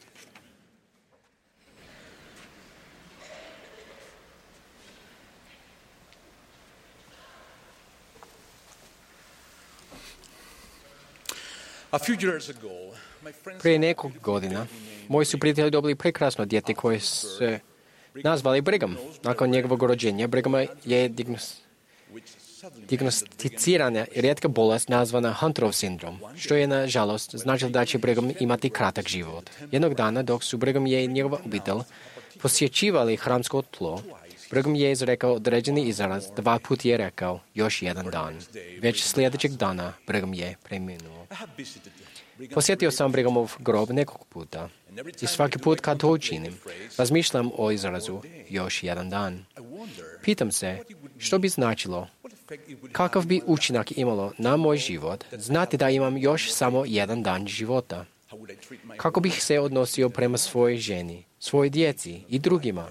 Prije nekog godina moji su prijatelji dobili prekrasno dijete koje se nazvali Brigham. Nakon njegovog rođenja Brighama je dijagnosticirana rijetka bolest nazvana Hunterov sindrom, što je nažalost značilo da će Brigham imati kratak život. Jednog dana dok su Brigham i njegova obitelj posjećivali hramsko tlo, Brigham je izrekao određeni izraz, 2 puta je rekao još jedan dan. Već sljedećeg dana Brigham je preminuo. Posjetio sam Brighamov grob nekoliko puta i svaki put kad to učinim, razmišljam o izrazu još jedan dan. Pitam se što bi značilo, kakav bi učinak imalo na moj život, znati da imam još samo jedan dan života. Kako bih se odnosio prema svojoj ženi, svojoj djeci i drugima.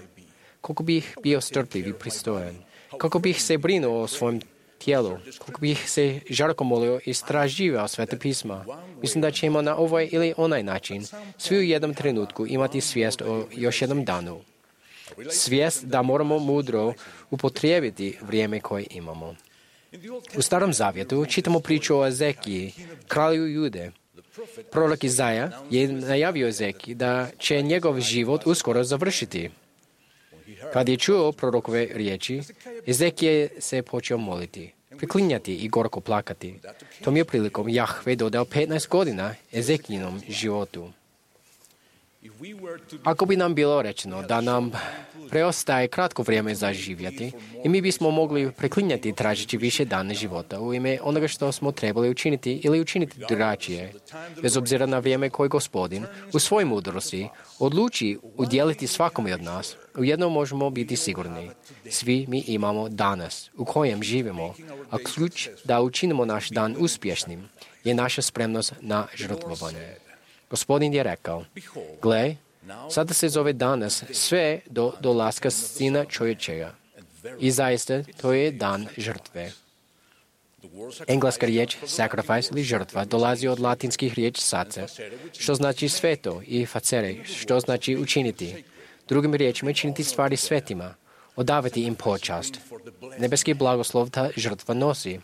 Koliko bih bio strpljiv i pristojan. Kako bih se brinuo o svojem tijelu. Koliko bih se žarko molio i istraživao Sveta pisma. Mislim da ćemo na ovaj ili onaj način svi u jednom trenutku imati svijest o još jednom danu. Svijest da moramo mudro upotrijebiti vrijeme koje imamo. U Starom Zavjetu čitamo priču o Ezekiji, kralju Jude. Prorok Izaja je najavio Ezekiji da će njegov život uskoro završiti. Kad je čuo prorokove riječi, Ezekije se počeo moliti, priklinjati i gorko plakati. Tom je prilikom Jahve dodao 15 godina Ezekijinom životu. Ako bi nam bilo rečeno da nam preostaje kratko vrijeme za živjeti i mi bismo mogli preklinjati tražeći više dana života u ime onoga što smo trebali učiniti ili učiniti drugačije, bez obzira na vrijeme koje Gospodin u svojoj mudrosti odluči udjeliti svakome od nas, ujedno možemo biti sigurni. Svi mi imamo danas u kojem živimo, a ključ da učinimo naš dan uspješnim je naša spremnost na žrtvovanje. Gospodin je rekao, gle, sada se zove danas sve do dolaska Sina čovječega. I zaista to je dan žrtve. Engleska riječ sacrifice ili žrtva dolazi od latinskih riječi sacer, što znači sveto, i facere, što znači učiniti. Drugim riječima činiti stvari svetima, odavati im počast. Nebeski blagoslov ta žrtva nosi.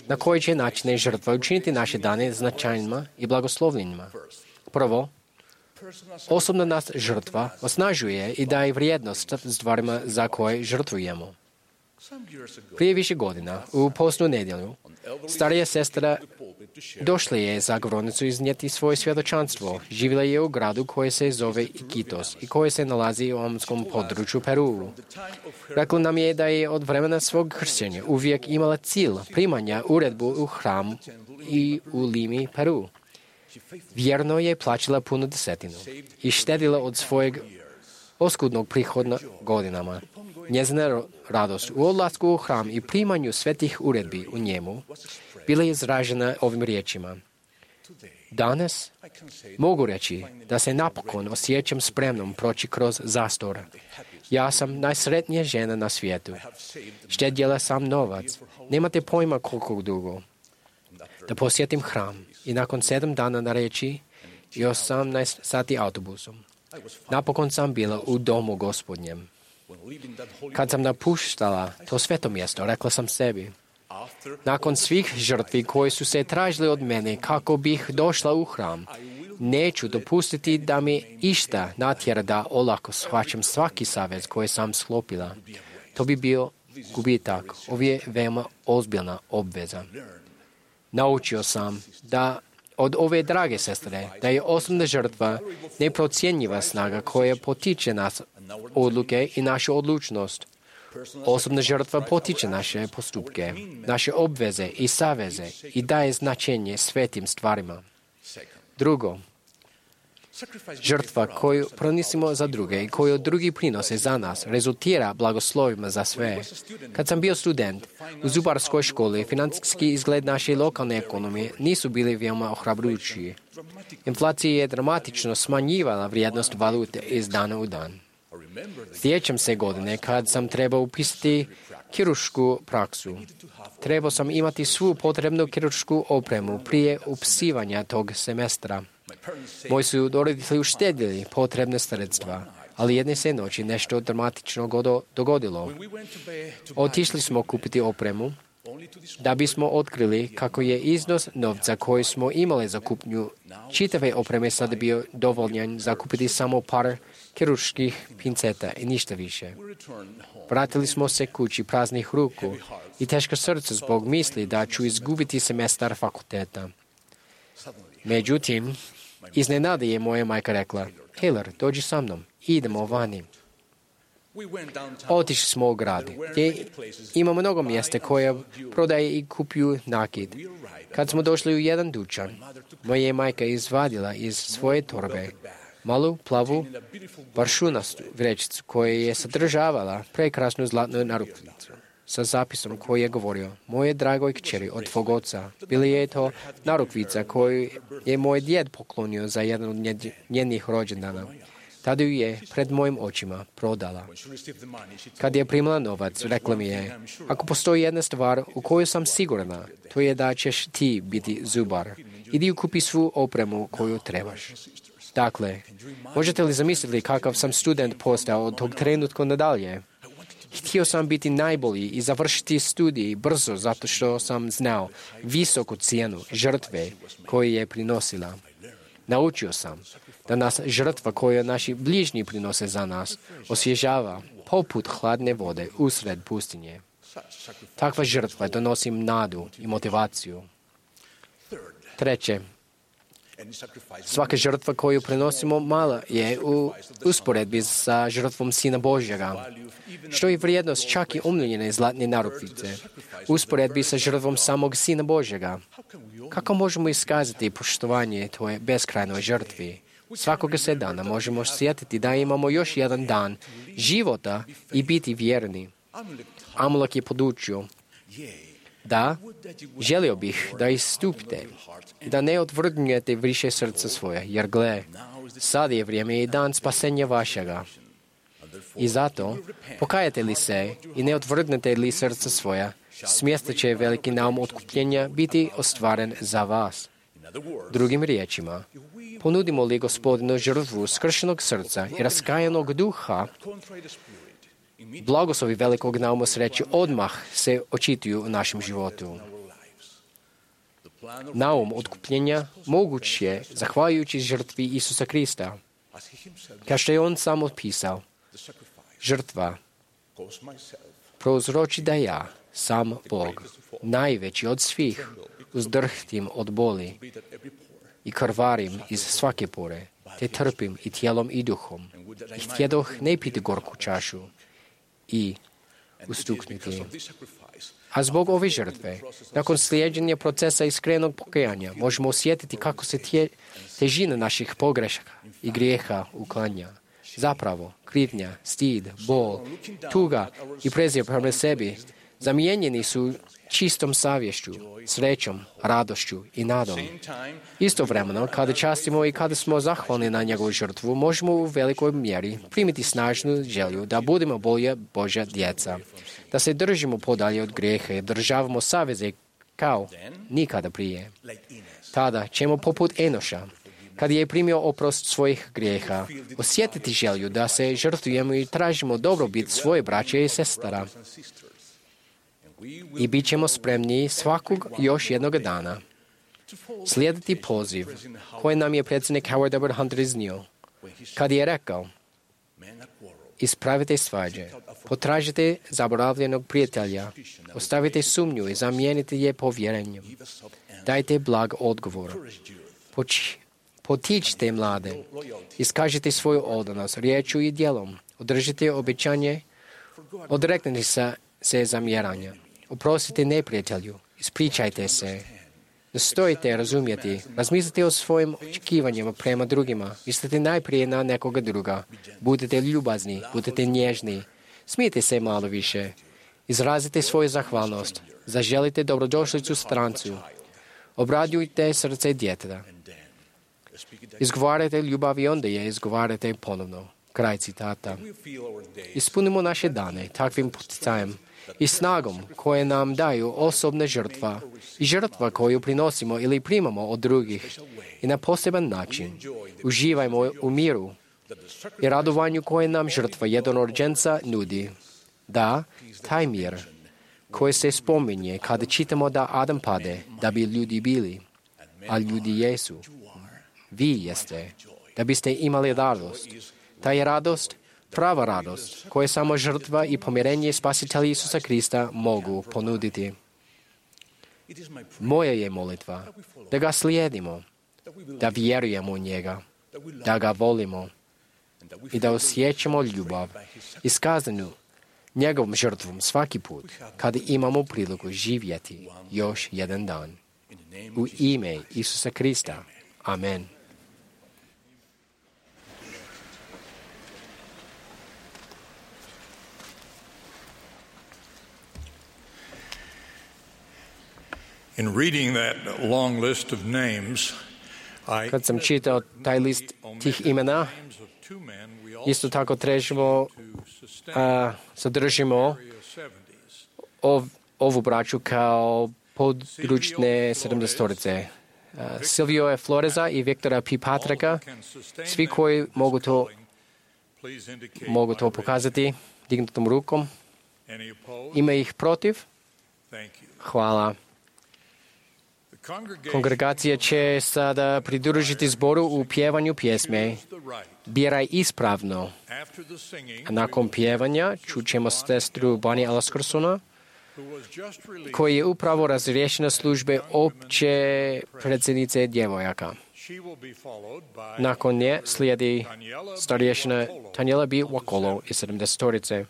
Na koji će načine žrtva učiniti naše dane značajnima i blagoslovljenima? Prvo, osobna nas žrtva osnažuje i daje vrijednost stvarima za koje žrtvujemo. Prije više godina, u postnu nedjelju, starija sestra došla je za govornicu iznijeti svoje svjedočanstvo. Živjela je u gradu koji se zove Iquitos i koji se nalazi u omskom području Peruu. Rekla nam je da je od vremena svog kršćenja uvijek imala cilj primanja uredbu u hram i u Limi, Peru. Vjerno je plaćala punu desetinu i štedila od svojeg oskudnog prihoda godinama. Njezina radost u odlasku u hram i primanju svetih uredbi u njemu bila je izražena ovim riječima. Danas mogu reći da se napokon osjećam spremnom proći kroz zastor. Ja sam najsretnija žena na svijetu. Štedjela sam novac. Nemate pojma koliko dugo. Da posjetim hram i nakon 7 dana na reći i 18 sati autobusom. Napokon sam bila u domu Gospodnjem. Kad sam napuštala to sveto mjesto, rekla sam sebi, Nakon svih žrtvi koje su se tražili od mene kako bih došla u hram, neću dopustiti da mi išta natjera da olako shvaćam svaki savez koji sam sklopila. To bi bio gubitak. Ovo je veoma ozbiljna obveza. Naučio sam da od ove drage sestre, da je osobna žrtva neprocjenjiva snaga koja potiče nas odluke i našu odlučnost. Osobna žrtva potiče naše postupke, naše obveze i saveze i daje značenje svetim stvarima. Drugo, žrtva koju pronisimo za druge i koju drugi prinose za nas rezultira blagoslovima za sve. Kad sam bio student u zubarskoj školi, financijski izgled naše lokalne ekonomije nisu bili veoma ohrabrujući. Inflacija je dramatično smanjivala vrijednost valute iz dana u dan. Sjećam se godine kad sam trebao upisati kiruršku praksu. Trebao sam imati svu potrebnu kiruršku opremu prije upisivanja tog semestra. Moji su roditelji uštedili potrebne sredstva, ali jedne se noći nešto dramatično dogodilo. Otišli smo kupiti opremu, da bismo otkrili kako je iznos novca koji smo imali za kupnju čitave opreme sada bio dovoljan za kupiti samo par kirurških pinceta i ništa više. Vratili smo se kući praznih ruku i teška srca zbog misli da ću izgubiti semestar fakulteta. Međutim, iznenada je moja majka rekla: Taylor, dođi sa mnom, idemo vani. Otišli smo u grad, gdje ima mnogo mjesta koje prodaje i kupuju nakit. Kad smo došli u jedan dućan, moja je majka izvadila iz svoje torbe malu, plavu, paršunastu vrećicu koja je sadržavala prekrasnu zlatnu narukvicu sa zapisom koji je govorio: moje dragoj kćeri od tvog oca. Bila je to narukvica koju je moj djed poklonio za jedan od njenih rođendana. Tada ju je pred mojim očima prodala. Kad je primila novac, rekla mi je: ako postoji jedna stvar u kojoj sam sigurna, to je da ćeš ti biti zubar. Idi kupi svu opremu koju trebaš. Dakle, možete li zamisliti kakav sam student postao od tog trenutka nadalje? Htio sam biti najbolji i završiti studij brzo zato što sam znao visoku cijenu žrtve koju je prinosila. Naučio sam da nas žrtva koju naši bližnji prinose za nas osvježava poput hladne vode usred pustinje. Takva žrtva donosi nadu i motivaciju. Treće, svaka žrtva koju prenosimo mala je u usporedbi sa žrtvom Sina Božjega. Što je vrijednost čak i omljene zlatne narukvice u usporedbi sa žrtvom samog Sina Božjega? Kako možemo iskazati poštovanje toj beskrajnoj žrtvi? Svakoga se dana možemo sjetiti da imamo još jedan dan života i biti vjerni. Amulek je podučio: da, želio bih da istupite, da ne odvrgnete više srca svoje, jer gle, sad je vrijeme i dan spasenja vašega. I zato, pokajate li se i ne odvrgnete li srca svoja, smjesta će veliki naum otkupljenja biti ostvaren za vas. Drugim riječima, ponudimo li Gospodinu žrtvu skršenog srca i raskajanog duha, blagoslovi velikog nauma sreće odmah se očituju u našem životu. Naum otkupljenja moguć je zahvaljujući žrtvi Isusa Krista. Kao što je on sam opisao, žrtva prouzroči da ja, sam Bog, najveći od svih, uzdrhtim od boli i krvarim iz svake pore, te trpim i tijelom i duhom. I htjedoh ne piti gorku čašu i ustuknuti. A zbog ove žrtve, nakon slijeđenja procesa iskrenog pokajanja, možemo osjetiti kako se težina naših pogrešaka i grijeha uklanja. Zapravo, krivnja, stid, bol, tuga i prezir prema sebi zamijenjeni su čistom savješću, srećom, radošću i nadom. Istovremeno, kada častimo i kada smo zahvalni na njegovu žrtvu, možemo u velikoj mjeri primiti snažnu želju da budemo bolja Božja djeca, da se držimo podalje od grijeha i državamo saveze kao nikada prije. Tada ćemo poput Enoša, kad je primio oprost svojih grijeha, osjetiti želju da se žrtvujemo i tražimo dobrobit svoje braće i sestara. i bit ćemo spremni svakog još jednog dana slijediti poziv koji nam je predsjednik Howard W. Hunter iznio, kad je rekao: ispravite svađe, potražite zaboravljenog prijatelja, ostavite sumnju i zamijenite je povjerenjem. Dajte blag odgovor. Potičite mlade, iskažite svoju odanost riječju i djelom, održite obećanje, odreknite se zamjeranja, oprostite neprijatelju, ispričajte se. Nastojite razumjeti, razmislite o svojim očekivanjima prema drugima, mislite najprije na nekoga druga, budite ljubazni, budite nježni, smijete se malo više, izrazite svoju zahvalnost, zaželite dobrodošlicu strancu, obradujte srce djeteta, izgovarajte ljubav i onda je izgovarajte ponovno. Kraj citata. Ispunimo naše dane takvim poticajem i snagom koje nam daju osobna žrtva i žrtva koju prinosimo ili primamo od drugih i na poseban način. Uživajmo u miru i radovanju koje nam žrtva jednorođenca nudi. Da, taj mir koji se spominje kada čitamo da Adam pade, da bi ljudi bili, a ljudi jesu. Vi jeste, da biste imali radost. Ta je radost, prava radost, koju samo žrtva i pomirenje Spasitelja Isusa Krista mogu ponuditi. Moja je molitva da ga slijedimo, da vjerujemo u njega, da ga volimo i da osjećamo ljubav iskazanu njegovom žrtvom svaki put kada imamo priliku živjeti još jedan dan. U ime Isusa Krista. Amen. In reading that long list of names, Kad sam čitao taj list tih imena, isto tako trebamo zadržimo ovu braću kao područne 70-torice. Silvio Floreza i Viktora P. Patrika, svi koji mogu to pokazati dignutom rukom. Ima ih protiv? Hvala. Kongregacija će sada pridružiti zboru u pjevanju pjesme Biraj ispravno. A nakon pjevanja čućemo sestru Bonnie Elliscorsona, koji je upravo razriješena službe opće predsjednice djevojaka. Nakon nje slijedi starješina Tanjela B. Wakolo iz 70-torice.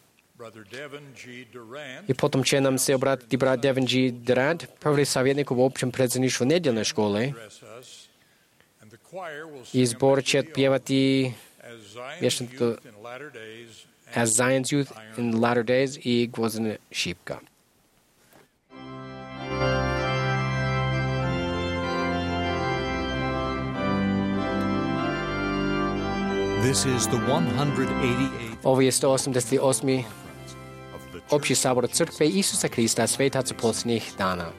I potom će nam se obratiti brat Devin G. Durant, prvi savjetnik u općem predsjedništvu nedjeljne škole. I zbor će pjevati vječnicu As Zion's Youth in Latter Days i Gvozdena šipka. This is the 188th Ovo je 188. Opći sabor crkve Isusa Krista svetaca posljednjih dana.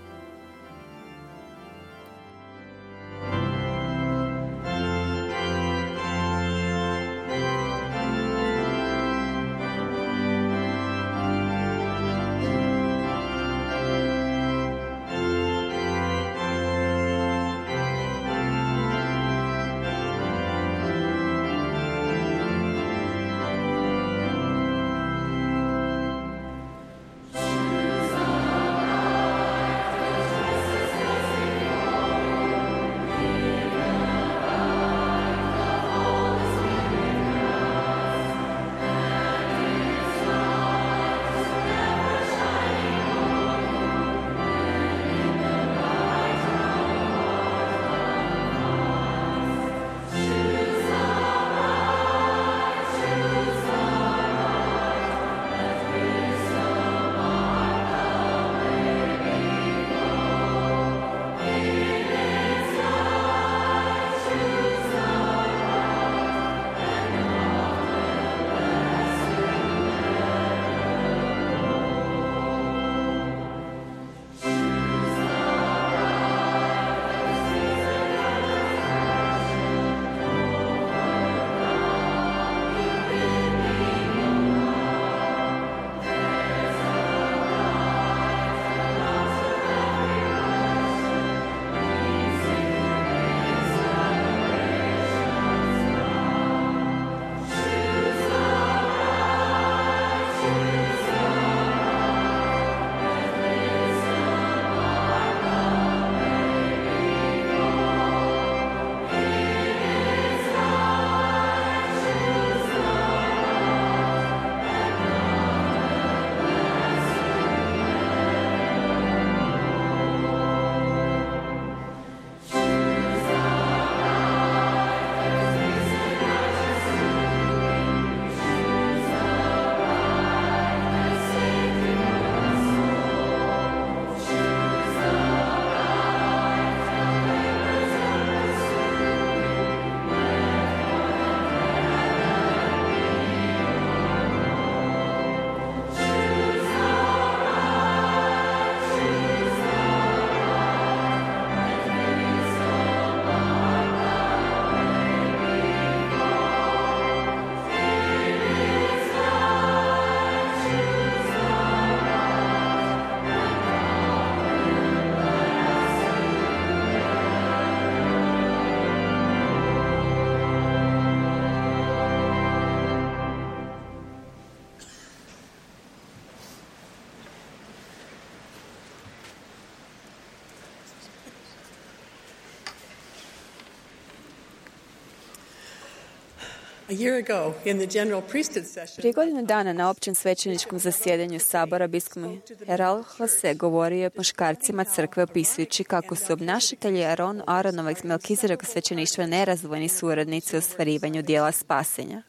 Prije godinu dana na općem svećeničkom zasjedanju Sabora biskup Herald Jose govorio je muškarcima crkve opisujući kako su obnašatelji Aronovog i Melkizedekova svećeništva nerazdvojni suradnici u ostvarivanju dijela spasenja.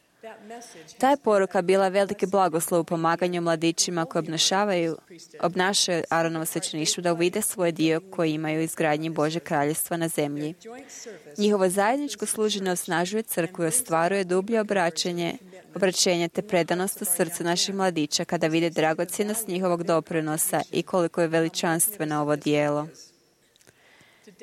Ta je poruka bila veliki blagoslov u pomaganju mladićima koji obnašaju Aronovo svećeništvo da uvide svoj dio koji imaju u izgradnji Božeg kraljevstva na zemlji. Njihovo zajedničko služenje osnažuje crkvu i ostvaruje dublje obraćenje te predanost u srcu naših mladića kada vide dragocjenost njihovog doprinosa i koliko je veličanstveno ovo dijelo.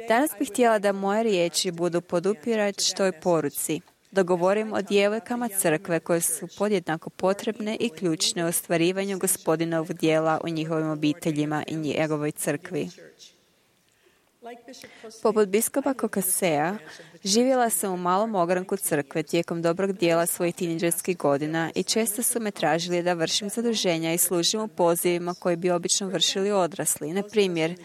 Danas bih htjela da moje riječi budu podupirač toj poruci. Da govorim o djevojkama crkve koje su podjednako potrebne i ključne u ostvarivanju Gospodinovog dijela u njihovim obiteljima i njegovoj crkvi. Poput biskupa Kokasea, živjela sam u malom ogranku crkve tijekom dobrog dijela svojih tinejdžerskih godina i često su me tražili da vršim zaduženja i služim u pozivima koji bi obično vršili odrasli. Na primjer,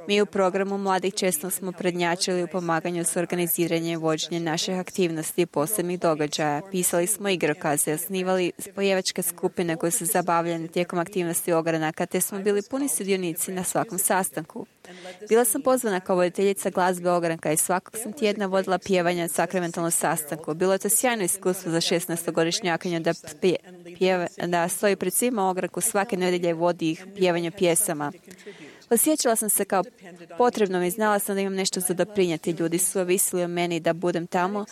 mi u programu mladih često smo prednjačili u pomaganju s organiziranjem i vođenjem naših aktivnosti i posebnih događaja. Pisali smo igrokaze, osnivali spojevačke skupine koje su zabavljene tijekom aktivnosti ogranaka, te smo bili puni sudionici na svakom sastanku. Bila sam pozvana kao voditeljica glazbe ogranka i svakog sam tjedna vodila pjevanje na sakramentalnom sastanku. Bilo je to sjajno iskustvo za 16-godišnjakinju da stoji pred svima ogranku svake nedjelje i vodi ih pjevanju pjesama. Osjećala sam se kao potrebnom i znala sam da imam nešto za doprinijeti. Ljudi su ovisili o meni da budem tamo,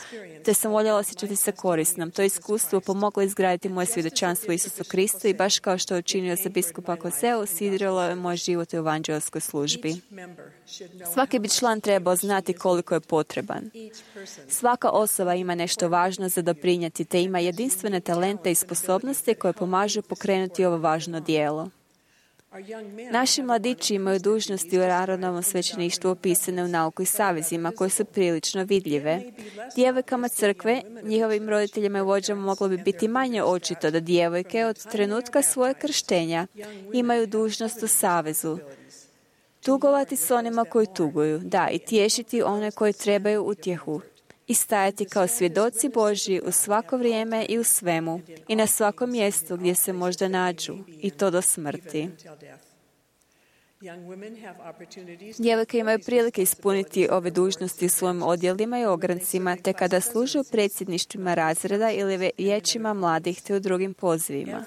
te sam voljela osjećati se korisnom. To iskustvo pomoglo izgraditi moje svjedočanstvo Isusu Kristu i baš kao što je učinio za biskupa Koseu, sidrilo je moj život u evanđelskoj službi. Svaki bi član trebao znati koliko je potreban. Svaka osoba ima nešto važno za doprinijeti, te ima jedinstvene talente i sposobnosti koje pomažu pokrenuti ovo važno djelo. Naši mladići imaju dužnosti u Aronovom svećeništvu opisane u nauku i savezima koje su prilično vidljive. Djevojkama crkve, njihovim roditeljima i vođama moglo bi biti manje očito da djevojke od trenutka svoje krštenja imaju dužnost u savezu. Tugovati s onima koji tuguju, da, i tješiti one koji trebaju utjehu. I stajati kao svjedoci Božji u svako vrijeme i u svemu i na svakom mjestu gdje se možda nađu, i to do smrti. Djevojke imaju prilike ispuniti ove dužnosti u svojim odjelima i ograncima, te kada služe u predsjedništvima razreda ili vijećima mladih te u drugim pozivima.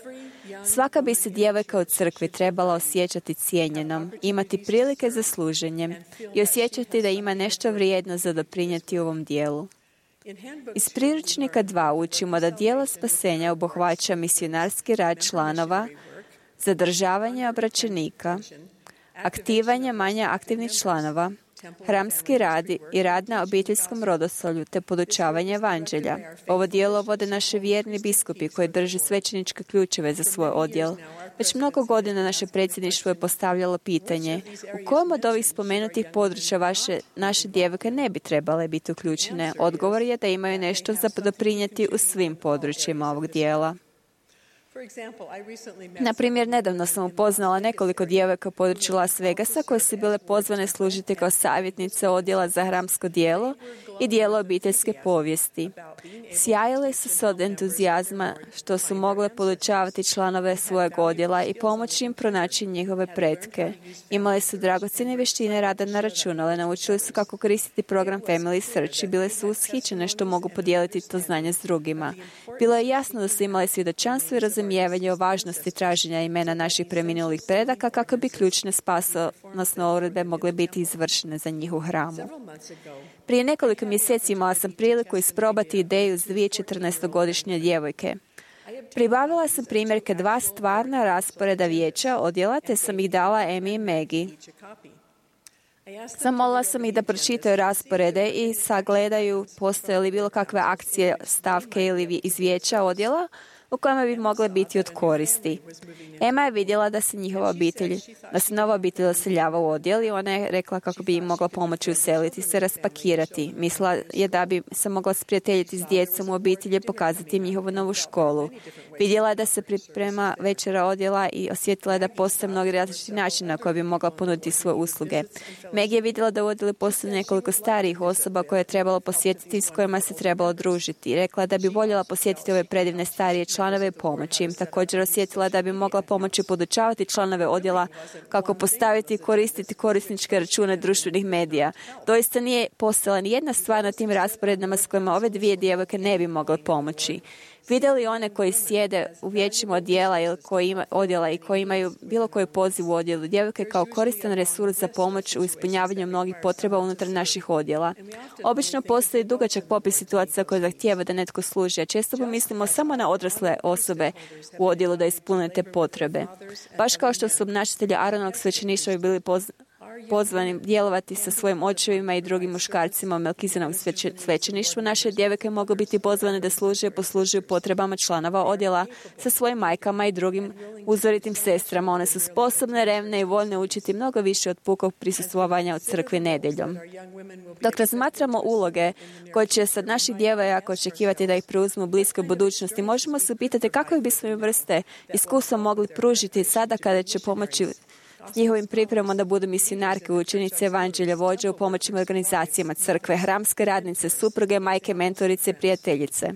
Svaka bi se djevojka u crkvi trebala osjećati cijenjenom, imati prilike za služenjem i osjećati da ima nešto vrijedno za doprinijeti ovom dijelu. Iz priručnika 2 učimo da dijelo spasenja obuhvaća misionarski rad članova, zadržavanje obraćenika, aktivanje manje aktivnih članova, hramski rad i rad na obiteljskom rodosolju te podučavanje evanđelja. Ovo dijelo vode naši vjerni biskupi koji drže svećeničke ključeve za svoj odjel. Već mnogo godina naše predsjedništvo je postavljalo pitanje u kojem od ovih spomenutih područja naše djevojke ne bi trebale biti uključene. Odgovor je da imaju nešto za doprinijeti u svim područjima ovog dijela. Na primjer, nedavno sam upoznala nekoliko djevojka u području Las Vegasa koje su bile pozvane služiti kao savjetnice odjela za hramsko djelo i dijelo obiteljske povijesti. Sjajile su se od entuzijazma što su mogle podučavati članove svojeg odjela i pomoći im pronaći njihove pretke. Imale su dragocjene vještine rada na računale, naučili su kako koristiti program Family Search i bile su ushićene što mogu podijeliti to znanje s drugima. Bilo je jasno da su imale svjedočanstvo i razumijevanje o važnosti traženja imena naših preminulih predaka kako bi ključne spasonosne uredbe mogle biti izvršene za njih u hramu. Prije nekoliko mjeseci imala sam priliku isprobati ideju s 14-godišnje djevojke. Pribavila sam primjerke 2 stvarna rasporeda vijeća odjela, te sam ih dala Emi i Maggie. Zamolila sam ih da pročitaju rasporede i sagledaju postoje li bilo kakve akcije, stavke ili iz vijeća odjela u kojima bi mogle biti od koristi. Emma je vidjela da se nova obitelj oseljava u odjel i ona je rekla kako bi im mogla pomoći useliti se, raspakirati. Mislila je da bi se mogla sprijateljiti s djecom u obitelji i pokazati im njihovu novu školu. Vidjela je da se priprema večera odjela i osjetila je da postoje mnogi različiti načini na koje bi mogla ponuditi svoje usluge. Meg je vidjela da u odjelu postoje nekoliko starijih osoba koje je trebalo posjetiti i s kojima se trebalo družiti. Rekla da bi voljela posjetiti ove predivne starije članove i pomoći im. Također osjetila da bi mogla pomoći podučavati članove odjela kako postaviti i koristiti korisničke račune društvenih medija. Doista nije postojala ni jedna stvar na tim rasporedima s kojima ove dvije djevojke ne bi mogle pomoći. Vidjeli one koji sjede u vijećima odjela i koji imaju bilo koji poziv u odjelu djevojke kao koristan resurs za pomoć u ispunjavanju mnogih potreba unutar naših odjela. Obično postoji dugačak popis situacija koje zahtijeva da netko služi, a često pomislimo samo na odrasle osobe u odjelu da ispune te potrebe. Baš kao što su obnašatelji Aaronovog svećeništva bili pozvani djelovati sa svojim očevima i drugim muškarcima u Melkizedovom svećeništvu, naše djevojke mogu biti pozvane da poslužuju potrebama članova odjela sa svojim majkama i drugim uzoritim sestrama. One su sposobne, revne i voljne učiti mnogo više od pukog prisustvovanja u crkvi nedjeljom. Dok razmatramo uloge koje će sad naših djevojaka očekivati da ih preuzmu u bliskoj budućnosti, možemo se upitati kakve bismo im vrste iskustva mogli pružiti sada kada će pomoći s njihovim pripremom da budu misionarke, učenice, evanđelja, vođe u pomoćnim organizacijama crkve, hramske radnice, supruge, majke, mentorice, prijateljice.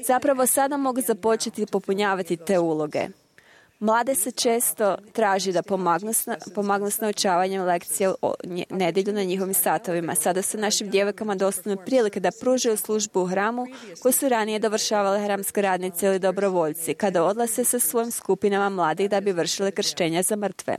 Zapravo sada mogu započeti popunjavati te uloge. Mlade se često traži da pomagnu s naučavanjem lekcija nedjelju na njihovim satovima. Sada su našim djevojkama dostupne prilike da pružaju službu u hramu koju su ranije dovršavale hramske radnice ili dobrovoljci, kada odlaze sa svojim skupinama mladih da bi vršile krštenja za mrtve.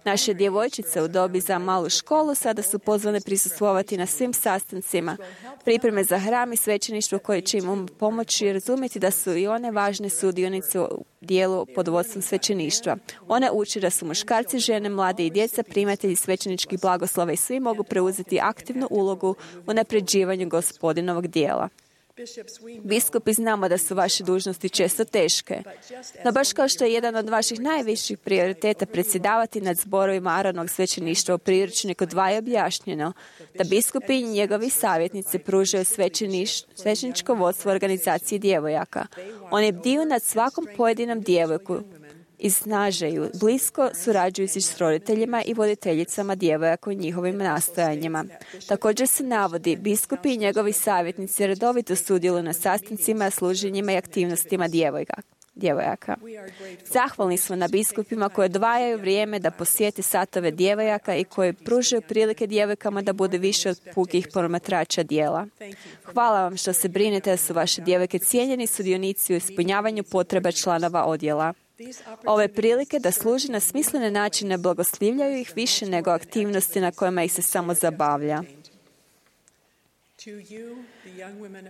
Naše djevojčice u dobi za malu školu sada su pozvane prisustvovati na svim sastancima, pripreme za hram i svećeništvo koje će im pomoći razumjeti da su i one važne sudionice u dijelu pod vodstvom svećeništva. One uče da su muškarci, žene, mlade i djeca primatelji svećeničkih blagoslova i svi mogu preuzeti aktivnu ulogu u unapređivanju Gospodinovog dijela. Biskupi, znamo da su vaše dužnosti često teške, no baš kao što je jedan od vaših najviših prioriteta predsjedavati nad zborovima Aaronovog svećeništva u priručniku 2 je objašnjeno da biskupi i njegovi savjetnici pružaju svećeničko vodstvo organizacije djevojaka. Oni bdiju nad svakom pojedinom djevojku i snažaju, blisko surađujući s roditeljima i voditeljicama djevojaka u njihovim nastojanjima. Također se navodi, biskupi i njegovi savjetnici redovito sudjeluju na sastancima, služenjima i aktivnostima djevojaka. Zahvalni smo na biskupima koji odvajaju vrijeme da posjete satove djevojaka i koji pružaju prilike djevojkama da bude više od pukih promatrača dijela. Hvala vam što se brinete da su vaše djevojke cijenjeni sudionici u ispunjavanju potreba članova odjela. Ove prilike da služi na smislene načine blagoslivljaju ih više nego aktivnosti na kojima ih se samo zabavlja.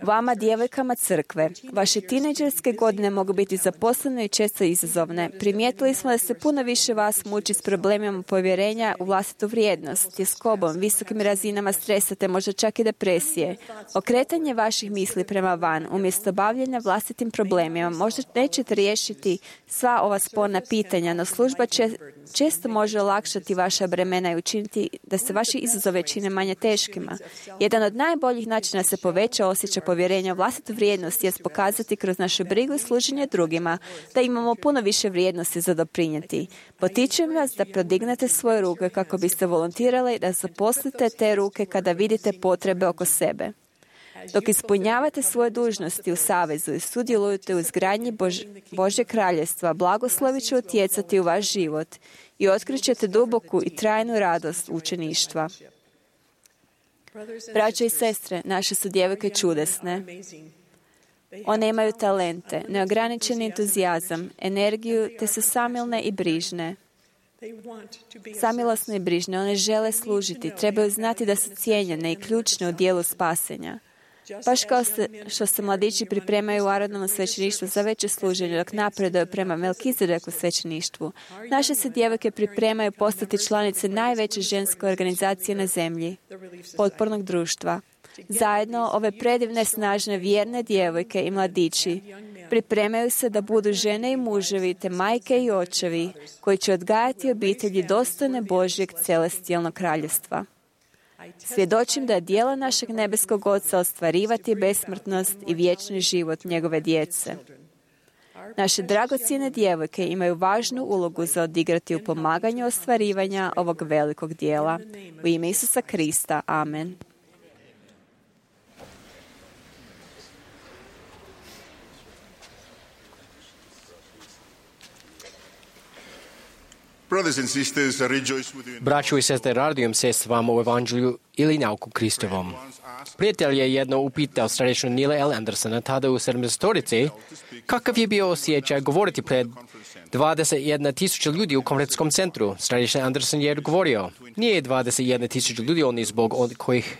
Vama, djevojkama crkve, vaše tinejdžerske godine mogu biti zaposlene i često izazovne. Primijetili smo da se puno više vas muči s problemima povjerenja u vlastitu vrijednost, tjeskobom, visokim razinama stresa te možda čak i depresije. Okretanje vaših misli prema van, umjesto bavljenja vlastitim problemima, možda nećete riješiti sva ova sporna pitanja, no služba često može olakšati vaša bremena i učiniti da se vaši izazove čine manje teškima. Jedan od najboljih načina se poveća osjećaj povjerenja u vlastitu vrijednost jest pokazati kroz našu brigu i služenje drugima da imamo puno više vrijednosti za doprinijeti. Potičem vas da prodignete svoje ruke kako biste volontirali da zaposlite te ruke kada vidite potrebe oko sebe. Dok ispunjavate svoje dužnosti u savezu i sudjelujete u izgradnji Božjeg kraljestva, blagoslovi će utjecati u vaš život i otkrićete duboku i trajnu radost učeništva. Braćo i sestre, naše su djevojke čudesne. One imaju talente, neograničeni entuzijazam, energiju, te su samilne i brižne. Samilosne i brižne, one žele služiti, trebaju znati da su cijenjene i ključne u dijelu spasenja. Baš kao što se mladići pripremaju u Aaronovom svećeništvu za veće služenje dok napreduju prema Melkizedeku svećeništvu, naše se djevojke pripremaju postati članice najveće ženske organizacije na zemlji, potpornog društva. Zajedno, ove predivne, snažne, vjerne djevojke i mladići Pripremaju se da budu žene i muževi, te majke i očevi, koji će odgajati obitelji dostojne Božjeg celestijalnog kraljevstva. Svjedočim da djela našeg nebeskog Oca ostvarivati besmrtnost i vječni život njegove djece. Naše dragocjene djevojke imaju važnu ulogu za odigrati u pomaganju ostvarivanja ovog velikog dijela. U ime Isusa Krista. Amen. Braćo i sestre, radujem se s vama u Evanđelju ili nauku Kristovom. Prijatelj je jedno upitao starešinu Nila L. Andersona, tada u 70-torici, kakav je bio osjećaj govoriti pred 21,000 ljudi u konferencijskom centru. Starešin Anderson je odgovorio, nije 21,000 ljudi oni zbog od kojih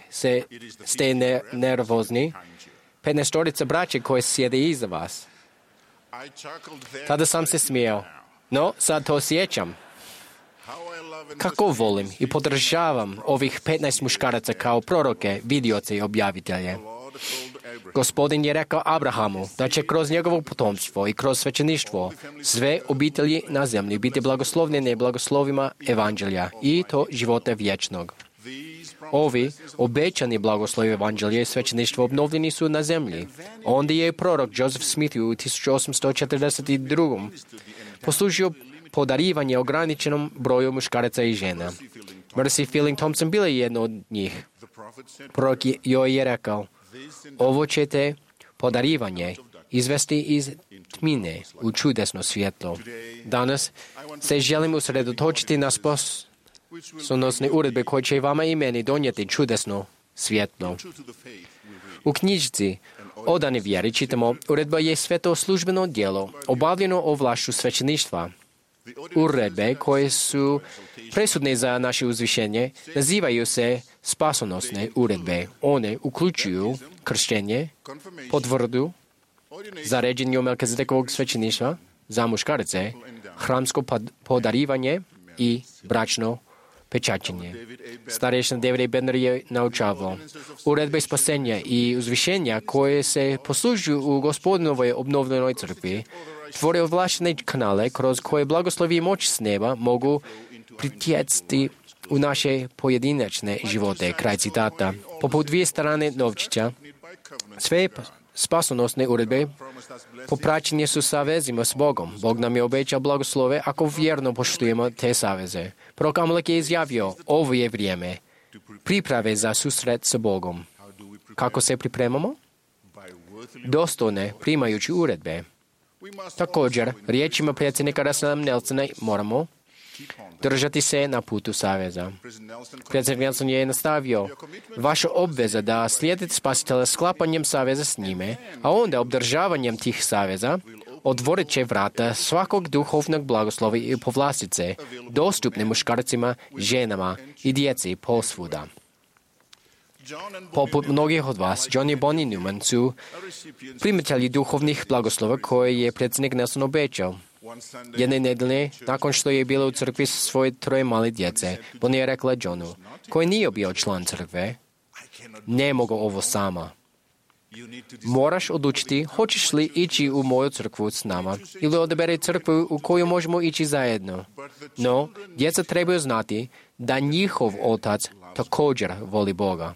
ste nervozni, 15-torica braće koje sjede iza vas. Tada sam se smijao, no sad to osjećam. Kako volim i podržavam ovih 15 muškaraca kao proroke, vidioce i objavitelje. Gospodin je rekao Abrahamu da će kroz njegovo potomstvo i kroz svećeništvo sve obitelji na zemlji biti blagoslovljene blagoslovima evanđelja i to života vječnog. Ovi obećani blagoslovi evanđelja i svećeništvo obnovljeni su na zemlji. Onda je prorok Joseph Smith u 1842. poslužio podarivanje ograničenom broju muškaraca i žena. Mercy Fielding Thompson bila je jedna od njih. Prorok joj je rekao, ovo ćete podarivanje izvesti iz tmine u čudesno svjetlo. Danas se želim usredotočiti na spasonosne uredbe koje će vama i meni donijeti čudesno svjetlo. U knjižici Odani vjeri čitamo, uredba je sveto službeno djelo, obavljeno ovlašću svećeništva. Uredbe koje su presudne za naše uzvišenje nazivaju se spasonosne uredbe. One uključuju krštenje, potvrdu, zaređenje Melkizedekovog svećeništva za muškarce, hramsko podarivanje i bračno pečaćenje. Starešina David A. Bednar je naučavao. Uredbe spasenja i uzvišenja koje se poslužuju u Gospodinovoj obnovljenoj crkvi tvore ovlaštene kanale kroz koje blagoslovi i moć s neba mogu pritjecati u naše pojedinačne živote. Kraj citata. Poput dvije strane novčića, sve spasonosne uredbe popraćenje su savezima s Bogom. Bog nam je obećao blagoslove ako vjerno poštujemo te saveze. Prorok Amalek je izjavio, ovo je vrijeme priprave za susret s Bogom. Kako se pripremamo? Dostojne primajući uredbe. Također, riječima predsjednika Russella Nelsona moramo držati se na putu saveza. Predsjednik Nelson je nastavio, vaša obveza da slijedite spasitelja sklapanjem saveza s njime, a onda obdržavanjem tih saveza, otvorit će vrata svakog duhovnog blagoslova i povlastice, dostupne muškarcima, ženama i djeci posvuda. Poput mnogih od vas, John i Bonnie Newman su primatelji duhovnih blagoslova koje je predsjednik Nelson obećao. Jedne nedelje, nakon što je bila u crkvi sa svoje 3 male djece, Bonnie je rekla Johnu, koji nije bio član crkve, ne mogu ovo sama. Moraš odlučiti hoćeš li ići u moju crkvu s nama ili odabere crkvu u koju možemo ići zajedno. No, djeca trebaju znati da njihov otac također voli Boga.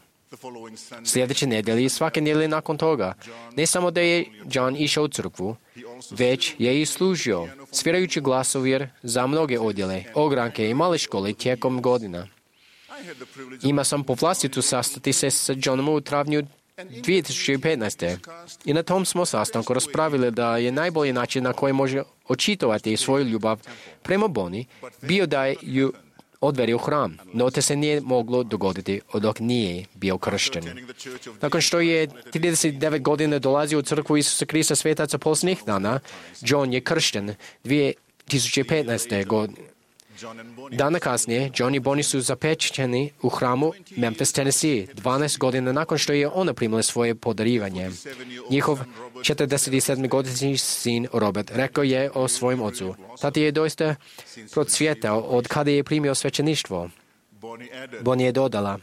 Sljedeće nedjelje i svake nedjelje nakon toga, ne samo da je John išao u crkvu, već je i služio, svirajući glasovir za mnoge odjele, ogranke i male škole tijekom godina. Ima sam povlastitu sastati se s Johnom u travnju 2015. I na tom smo sastanku raspravili da je najbolji način na koji može očitovati svoju ljubav prema Bonnie bio da ju odveli u hram, no te se nije moglo dogoditi dok nije bio kršten. Nakon što je 39 godina dolazio u crkvu Isusa Krista svetaca posljednjih dana, John je kršten 2015. godine. Dana kasnije, John i Bonnie su zapečeni u hramu Memphis, Tennessee, 12 godina nakon što je ona primila svoje podarivanje. Njihov 47-godišnji sin Robert rekao je o svojem ocu. Tati je doista procvjetao od kada je primio svećeništvo. Bonnie je dodala,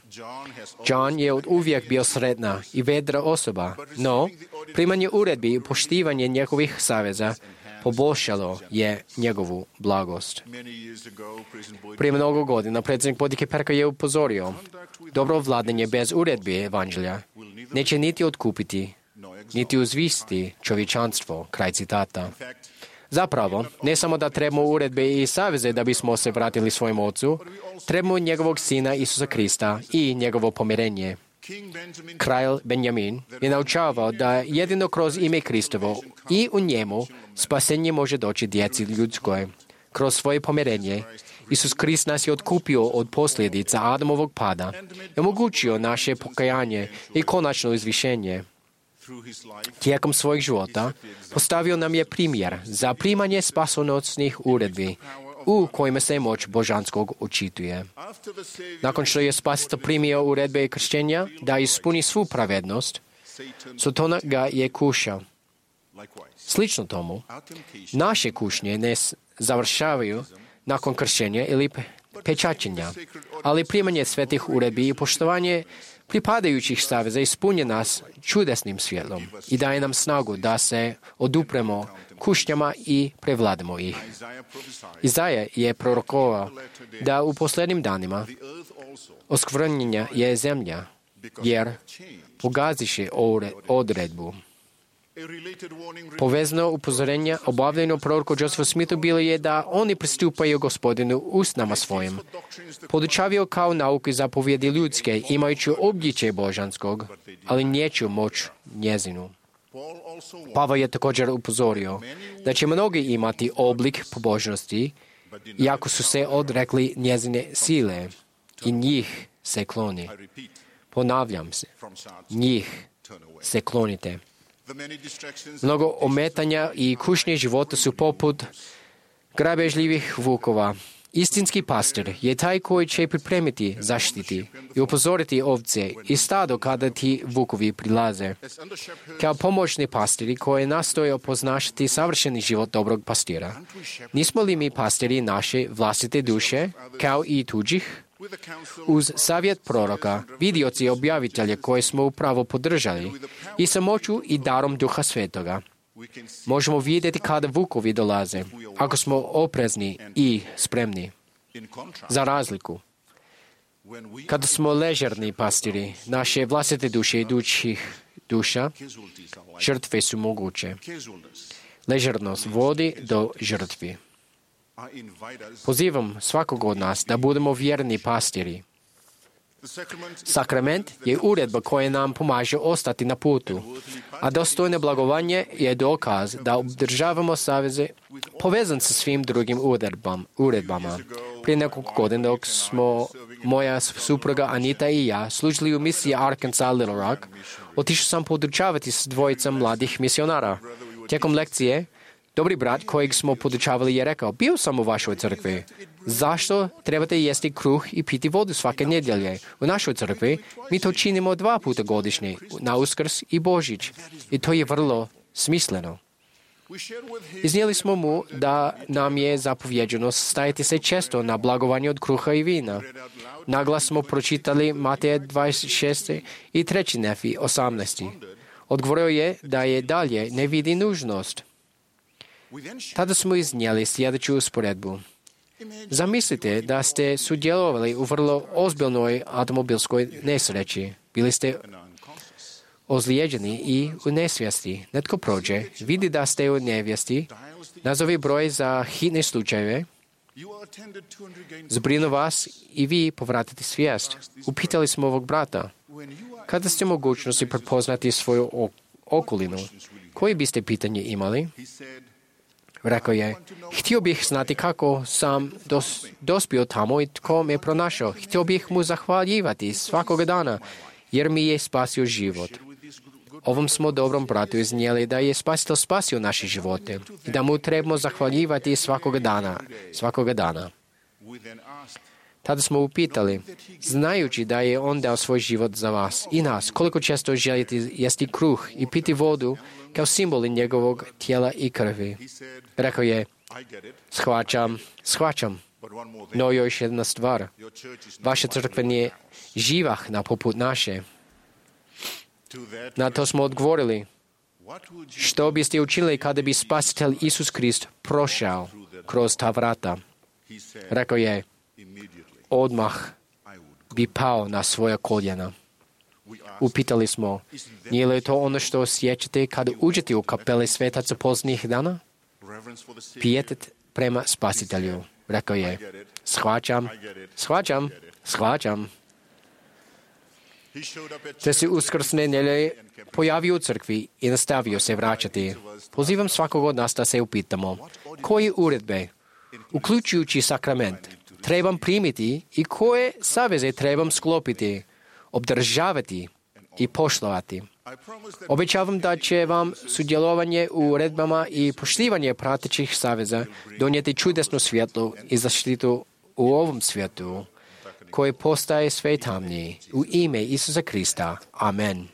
John je od uvijek bio sretna i vedra osoba, no Primanje uredbi i poštivanje njegovih saveza poboljšalo je njegovu blagost. Prije mnogo godina predsjednik Bodike Perka je upozorio: dobro vladanje bez uredbi evanđelja neće niti otkupiti, niti uzvisti čovječanstvo. Kraj citata. Zapravo, ne samo da trebamo uredbe i saveze da bismo se vratili svojom ocu, trebamo njegovog sina Isusa Krista i njegovo pomirenje. Kralj Benjamin je naučavao da jedino kroz ime Kristovo i u njemu spasenje može doći djeci ljudskoj. Kroz svoje pomirenje, Isus Krist nas je otkupio od posljedica Adamovog pada i omogućio naše pokajanje i konačno izvišenje. Tijekom svojeg života postavio nam je primjer za primanje spasonosnih uredbi u kojima se moć božanskog očituje. Nakon što je Spasitelj primio uredbe i krštenja da ispuni svu pravednost, Satan ga je kušao. Slično tomu, naše kušnje ne završavaju nakon krštenja ili pečaćenja, ali primanje svetih uredbi i poštovanje pripadajućih saveza ispunje nas čudesnim svjetlom i daje nam snagu da se odupremo kušnjama i prevladamo ih. Izaja je prorokovao da u posljednjim danima oskvrnjenja je zemlja, jer pogaziše odredbu. Povezano upozorenje obavljeno proroku Josephu Smithu bilo je da oni pristupaju Gospodinu usnama svojim. Podučavio kao nauku i zapovjedi ljudske, imajući obličje božanskog, ali neću moć njezinu. Pavao je također upozorio da će mnogi imati oblik pobožnosti, iako su se odrekli njezine sile i njih se kloni. Ponavljam se, njih se klonite. Mnogo ometanja i kušnje života su poput grabežljivih vukova. Istinski pastor je taj koji će pripremiti, zaštiti i upozoriti ovce i stado kada ti vukovi prilaze. Kao pomoćni pastori koji nastoje opoznašati savršeni život dobrog pastira. Nismo li mi pastori naše vlastite duše, kao i tuđih? Uz savjet proroka, vidioci i objavitelje koje smo upravo podržali i sa moću i darom Duha Svetoga, možemo vidjeti kada vukovi dolaze, ako smo oprezni i spremni. Za razliku, kada smo ležerni pastiri, naše vlastite duše i tuđih duša, žrtve su moguće. Ležernost vodi do žrtvi. Pozivam svakog od nas da budemo vjerni pastiri. Sakrament je uredba koja nam pomaže ostati na putu, a dostojno blagovanje je dokaz da obdržavamo saveze povezan sa svim drugim uredbama. Prije nekoliko godina dok smo moja supruga Anita i ja služili u misiji Arkansas Little Rock, otišao sam podučavati s dvojicom mladih misionara. Tijekom lekcije, dobri brat kojeg smo podučavali je rekao: bio sam u vašoj crkvi. Zašto trebate jesti kruh i piti vodu svake nedjelje? U našoj crkvi mi to činimo 2 puta godišnje, na Uskrs i Božić. I to je vrlo smisleno. Iznijeli smo mu da nam je zapovjeđeno stajati se često na blagovanju od kruha i vina. Naglas smo pročitali Mateja 26. i 3. Nefi 18. Odgovorio je da je dalje ne vidi nužnost. Tada smo iznijeli sljedeću usporedbu. Zamislite da ste sudjelovali u vrlo ozbiljnoj automobilskoj nesreći. Bili ste ozlijeđeni i u nesvijesti. Netko prođe, vidi da ste u nevijesti, nazovi broj za hitne slučajeve, zbrinu vas i vi povratite svijest. Upitali smo ovog brata: kada ste mogućnosti prepoznati svoju okolinu, koje biste pitanje imali? Rekao je: htio bih znati kako sam dospio tamo i tko me pronašao. Htio bih mu zahvaljivati svakoga dana, jer mi je spasio život. Ovom smo dobrom bratu iznijeli da je Spasitelj spasio naše živote i da mu trebamo zahvaljivati svakoga dana. Tada smo upitali, znajući da je on dao svoj život za vas i nas, koliko često želite jesti kruh i piti vodu kao simboli njegovog tijela i krvi. Rekao je: shvaćam, no još jedna stvar. Vaša crkva nije živahna poput naše. Na to smo odgovorili: Što biste učinili kada bi Spasitelj Isus Krist prošao kroz ta vrata? Rekao je, odmah bi pao na svoja koljena. Upitali smo, nije li to ono što osjećate kada uđete u kapele svetaca posljednjih dana? Pijetet prema Spasitelju. Rekao je, shvaćam. Te se uskrsne nedjelje pojavio u crkvi i nastavio se vraćati. Pozivam svakog od nas da se upitamo, koje uredbe, uključujući sakrament, trebam primiti i koje saveze trebam sklopiti, obdržavati i poštovati. Obećavam da će vam sudjelovanje u uredbama i poštivanje pratećih saveza donijeti čudesnu svjetlu i zaštitu u ovom svijetu, koji postaje sve tamniji. U ime Isusa Krista. Amen.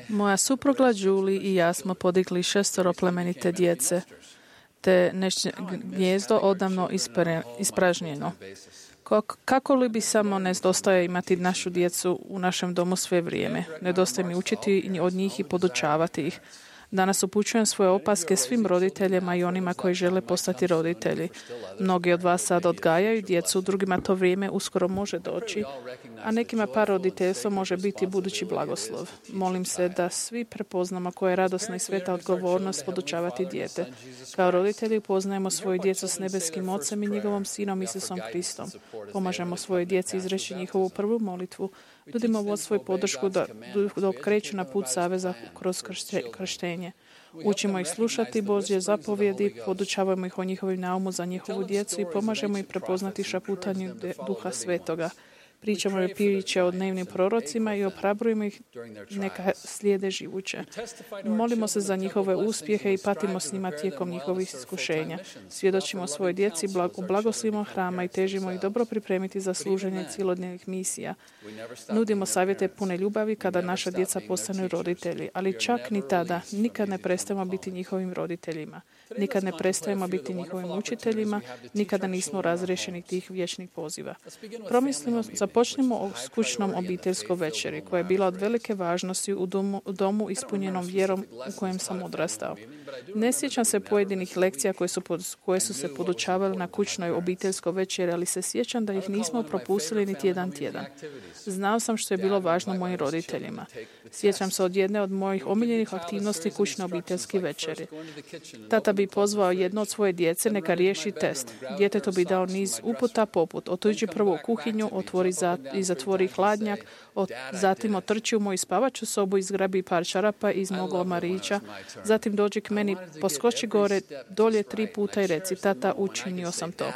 Moja supruga Julie i ja smo podigli 6 plemenite djece, te gnjezdo odavno ispražnjeno. Kako li bi samo nedostaje imati našu djecu u našem domu sve vrijeme? Nedostaje mi učiti od njih i podučavati ih. Danas upućujem svoje opaske svim roditeljima i onima koji žele postati roditelji. Mnogi od vas sad odgajaju djecu, drugima to vrijeme uskoro može doći, a nekima par roditeljstvo može biti budući blagoslov. Molim se da svi prepoznamo koja je radosna i sveta odgovornost podučavati dijete. Kao roditelji poznajemo svoju djecu s nebeskim Ocem i njegovom Sinom Isusom Kristom. Pomažemo svojoj djeci izreći njihovu prvu molitvu. Nudimo vodstvo i podršku dok kreću na put saveza kroz krštenje. Učimo ih slušati Božje zapovjedi, podučavamo ih o njihovim naumu za njihovu djecu i pomažemo ih prepoznati šaputanju Duha Svetoga. Pričamo i priče o dnevnim prorocima i ohrabrujemo ih neka slijede živuće. Molimo se za njihove uspjehe i patimo s njima tijekom njihovih iskušenja. Svjedočimo svojoj djeci u blagoslivima hrama i težimo ih dobro pripremiti za služenje cilodnevnih misija. Nudimo savjete pune ljubavi kada naša djeca postanu roditelji, ali čak ni tada nikad ne prestajemo biti njihovim roditeljima. Nikad ne prestajemo biti njihovim učiteljima, nikada nismo razriješeni tih vječnih poziva. Započnimo o kućnom obiteljskoj večeri, koja je bila od velike važnosti u domu ispunjenom vjerom u kojem sam odrastao. Ne sjećam se pojedinih lekcija koje su se podučavale na kućnoj obiteljskoj večeri, ali se sjećam da ih nismo propustili niti jedan tjedan. Znao sam što je bilo važno mojim roditeljima. Sjećam se od jedne od mojih omiljenih aktivnosti kućne obiteljske večeri. Tata bi pozvao jedno od svoje djece neka riješi test. Djetetu bi dao niz uputa poput otiđi prvo u kuhinju, otvori i zatvori hladnjak, zatim otrči u moju spavaču sobu i zgrabi par čarapa iz mog omarića, zatim dođi k meni, poskoči gore, dolje 3 puta i reci, tata, učinio sam to.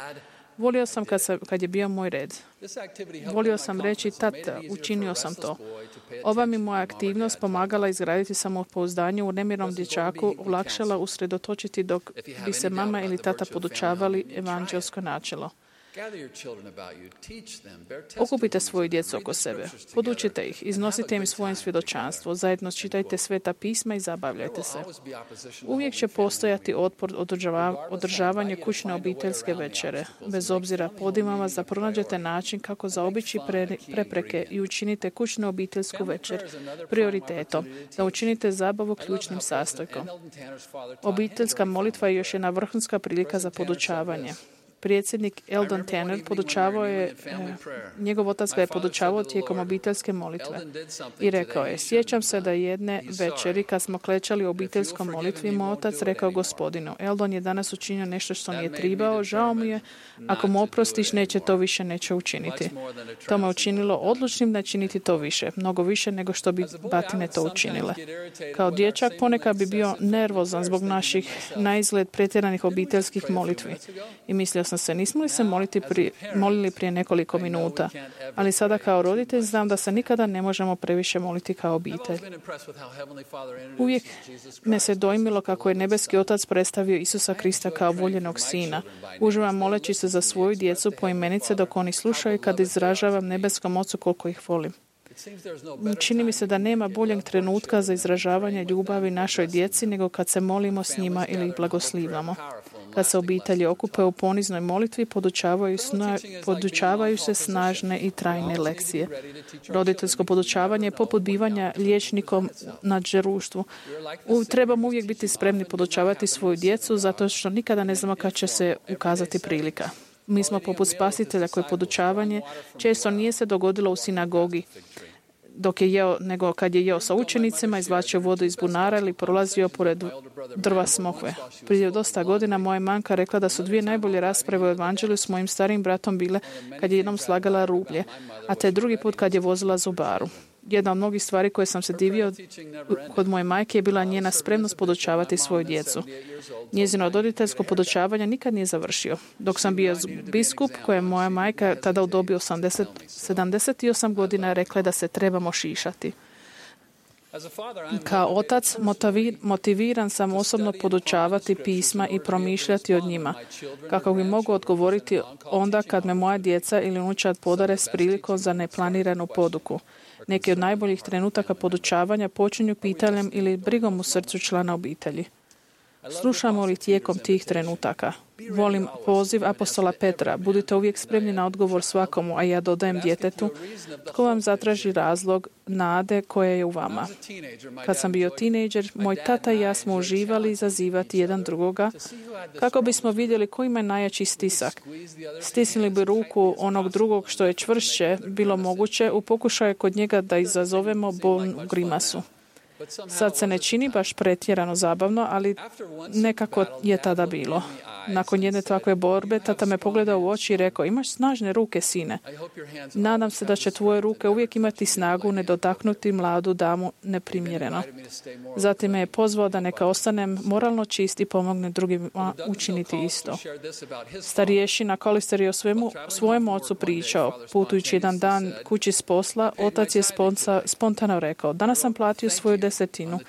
Volio sam kad je bio moj red. Volio sam reći, tata, učinio sam to. Ova mi moja aktivnost pomagala izgraditi samopouzdanje u nemirnom dječaku, olakšala usredotočiti dok bi se mama ili tata podučavali evanđelsko načelo. Okupite svoju djecu oko sebe. Podučite ih, iznosite im svoje svjedočanstvo, zajedno čitajte sveta pisma i zabavljajte se. Uvijek će postojati otpor održavanje kućne obiteljske večere. Bez obzira pozivam vas da pronađete način kako zaobići prepreke i učinite kućnu obiteljsku večer prioritetom, da učinite zabavu ključnim sastojkom. Obiteljska molitva je još jedna vrhunska prilika za podučavanje. Predsjednik Eldon Tanner njegov otac ga je podučavao tijekom obiteljske molitve i rekao je, sjećam se da jedne večeri kad smo klečali u obiteljskom molitvi, moj otac rekao Gospodinu, Eldon je danas učinio nešto što nije tribao, žao mu je, ako mu oprostiš neće učiniti. To me učinilo odlučnim da činiti to više, mnogo više nego što bi batine to učinile. Kao dječak ponekad bi bio nervozan zbog naših naizgled pretjeranih obiteljskih molitvi i mislio sam se, nismo li se molili prije nekoliko minuta, ali sada kao roditelj znam da se nikada ne možemo previše moliti kao obitelj. Uvijek me se dojmilo kako je nebeski otac predstavio Isusa Krista kao voljenog sina. Uživam moleći se za svoju djecu poimenice dok oni slušaju kad izražavam nebeskom ocu koliko ih volim. Čini mi se da nema boljeg trenutka za izražavanje ljubavi našoj djeci nego kad se molimo s njima ili ih blagoslivljamo. Kad se obitelji okupe u poniznoj molitvi, podučavaju se snažne i trajne lekcije. Roditeljsko podučavanje je poput bivanja liječnikom na đeruštvu. Trebamo uvijek biti spremni podučavati svoju djecu, zato što nikada ne znamo kad će se ukazati prilika. Mi smo poput spasitelja koje podučavanje često nije se dogodilo u sinagogi dok je jeo, nego kad je jeo sa učenicima, izvlačio vodu iz bunara ili prolazio pored drva smokve. Prije dosta godina moja manka rekla da su 2 najbolje rasprave u evanđelju s mojim starijim bratom bile kad je jednom slagala rublje, a te drugi put kad je vozila zubaru. Jedna od mnogih stvari koje sam se divio kod moje majke je bila njena spremnost podučavati svoju djecu. Njezino roditeljsko podučavanje nikad nije završio. Dok sam bio biskup, koja je moja majka tada u dobi 78 godina rekla da se trebamo šišati. Kao otac motiviran sam osobno podučavati pisma i promišljati o njima, kako bi mogu odgovoriti onda kad me moja djeca ili unučad podare s prilikom za neplaniranu poduku. Neki od najboljih trenutaka podučavanja počinju pitanjem ili brigom u srcu člana obitelji. Slušamo li tijekom tih trenutaka? Volim poziv apostola Petra. Budite uvijek spremni na odgovor svakomu, a ja dodajem djetetu, tko vam zatraži razlog nade koja je u vama. Kad sam bio tinejdžer, moj tata i ja smo uživali zazivati jedan drugoga kako bismo vidjeli ko ima najjači stisak. Stisnili bi ruku onog drugog što je čvršće bilo moguće u pokušaju kod njega da izazovemo bolnu grimasu. Sad se ne čini baš pretjerano zabavno, ali nekako je tada bilo. Nakon jedne takve borbe, tata me pogledao u oči i rekao, imaš snažne ruke, sine. Nadam se da će tvoje ruke uvijek imati snagu ne dotaknuti mladu damu neprimjereno. Zatim me je pozvao da neka ostanem moralno čist i pomogne drugima učiniti isto. Starješina Kolister je o svojem ocu pričao. Putujući jedan dan kući s posla, otac je spontano rekao, danas sam platio svoju 10.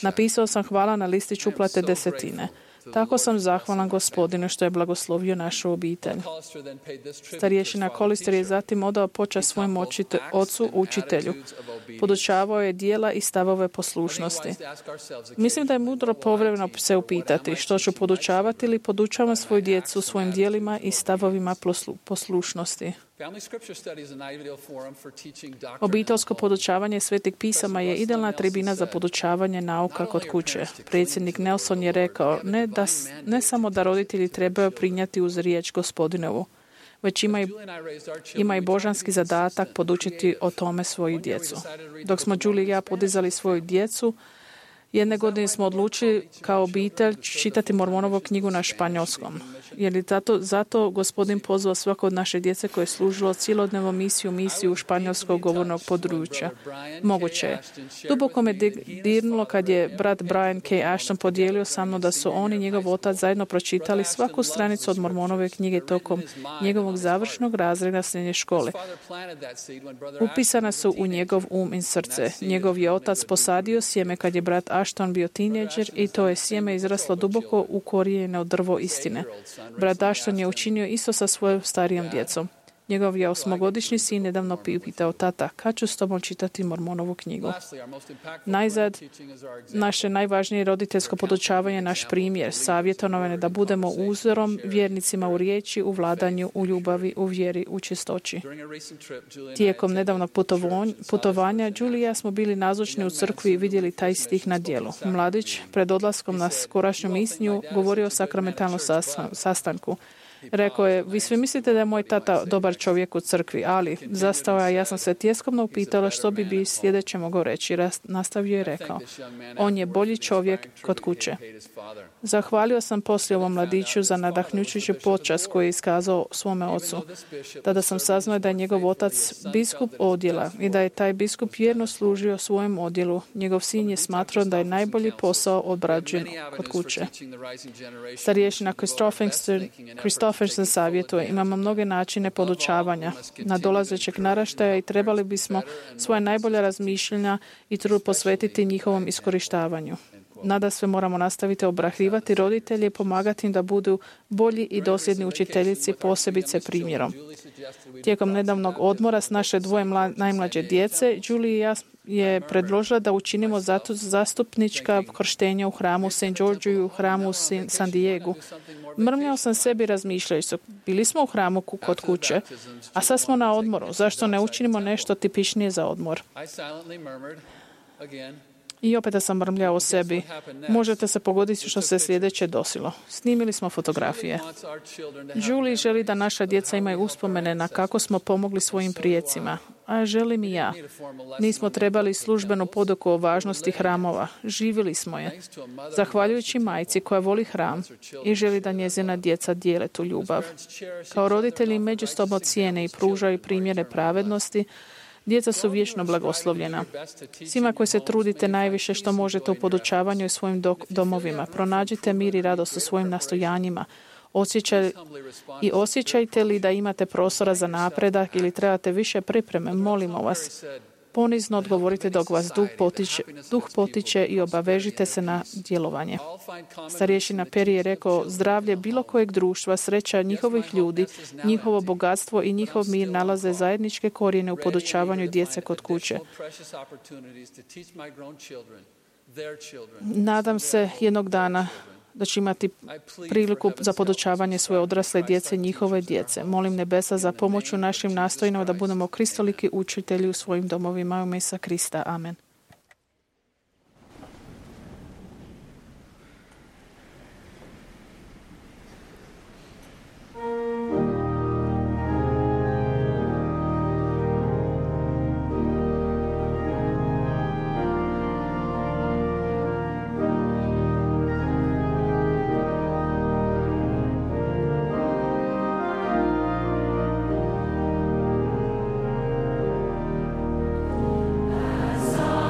Napisao sam hvala na listić uplate 10. Tako sam zahvalan Gospodinu što je blagoslovio našu obitelj. Starješina Kolister je zatim odao počast svojem ocu učitelju. Podučavao je djela i stavove poslušnosti. Mislim da je mudro povremeno se upitati što ću podučavati ili podučavam svoju djecu svojim djelima i stavovima poslušnosti. Obiteljsko podučavanje svetih pisama je idealna tribina za podučavanje nauka kod kuće. Predsjednik Nelson je rekao ne samo da roditelji trebaju prinijeti uz riječ Gospodinovu, već ima i božanski zadatak podučiti o tome svoju djecu. Dok smo Julie i ja podizali svoju djecu, jedne godine smo odlučili kao obitelj čitati Mormonovu knjigu na španjolskom. Jer je zato Gospodin pozvao svako od naše djece koje je služilo cjelodnevnu misiju španjolskog govornog područja. Moguće je. Duboko me dirnulo kad je brat Brian K. Ashton podijelio sa mnom da su on i njegov otac zajedno pročitali svaku stranicu od Mormonove knjige tokom njegovog završnog razreda srednje škole. Upisana su u njegov i srce. Njegov je otac posadio sjeme kad je brat Ashton bio tinejdžer i to je sjeme izraslo duboko ukorijenjeno drvo istine. Brat Ashton je učinio isto sa svojom starijom djecom. Njegov je 8-godišnji sin nedavno pitao, tata, kad ću s tobom čitati Mormonovu knjigu? Najzad, naše najvažnije roditeljsko podučavanje je naš primjer, savjetovanje da budemo uzorom vjernicima u riječi, u vladanju, u ljubavi, u vjeri, u čistoći. Tijekom nedavnog putovanja, Julie i ja smo bili nazočni u crkvi i vidjeli taj stih na djelu. Mladić, pred odlaskom na skorašnju misnju, govorio o sakramentalnom sastanku. Rekao je, vi svi mislite da je moj tata dobar čovjek u crkvi, ali zastao ja sam se tjeskovno upitala što bi sljedeće mogao reći. Nastavio je rekao, on je bolji čovjek kod kuće. Zahvalio sam poslije ovom mladiću za nadahnjućuću počast koju je iskazao svome ocu. Tada sam saznao da je njegov otac biskup odjela i da je taj biskup vjerno služio svojem odjelu. Njegov sin je smatrao da je najbolji posao odrađen kod kuće. Starješina Christopherson savjetuje, imamo mnoge načine podučavanja nadolazećeg naraštaja i trebali bismo svoje najbolja razmišljanja i trud posvetiti njihovom iskorištavanju. Nadasve moramo nastaviti obrahrivati roditelje i pomagati im da budu bolji i dosljedni učiteljici, posebice primjerom. Tijekom nedavnog odmora s naše 2 najmlađe djece, Julie i ja je predložila da učinimo zastupnička krštenja u hramu St. Georgeu i u hramu San Diegu. Mrmljao sam sebi razmišljajući, bili smo u hramu kod kuće, a sad smo na odmoru. Zašto ne učinimo nešto tipičnije za odmor? I opet sam mrmljao o sebi. Možete se pogoditi što se sljedeće desilo. Snimili smo fotografije. Julie želi da naša djeca imaju uspomene na kako smo pomogli svojim prijecima. A želim i ja. Nismo trebali službenu poduku o važnosti hramova. Živjeli smo je. Zahvaljujući majci koja voli hram i želi da njezina djeca dijele tu ljubav. Kao roditelji međusobno cijene i pružaju primjere pravednosti, djeca su vječno blagoslovljena. Svima koji se trudite najviše što možete u podučavanju i svojim domovima, pronađite mir i radost u svojim nastojanjima. Osjećajte li da imate prostora za napredak ili trebate više pripreme, molimo vas. Ponizno odgovorite dok vas duh potiče i obavežite se na djelovanje. Starješina Peri je rekao, zdravlje bilo kojeg društva, sreća njihovih ljudi, njihovo bogatstvo i njihov mir nalaze zajedničke korijene u podučavanju djece kod kuće. Nadam se jednog dana da će imati priliku za podučavanje svoje odrasle djece i njihove djece. Molim nebesa za pomoć u našim nastojanjima da budemo kristoliki učitelji u svojim domovima u ime Isusa Krista. Amen. As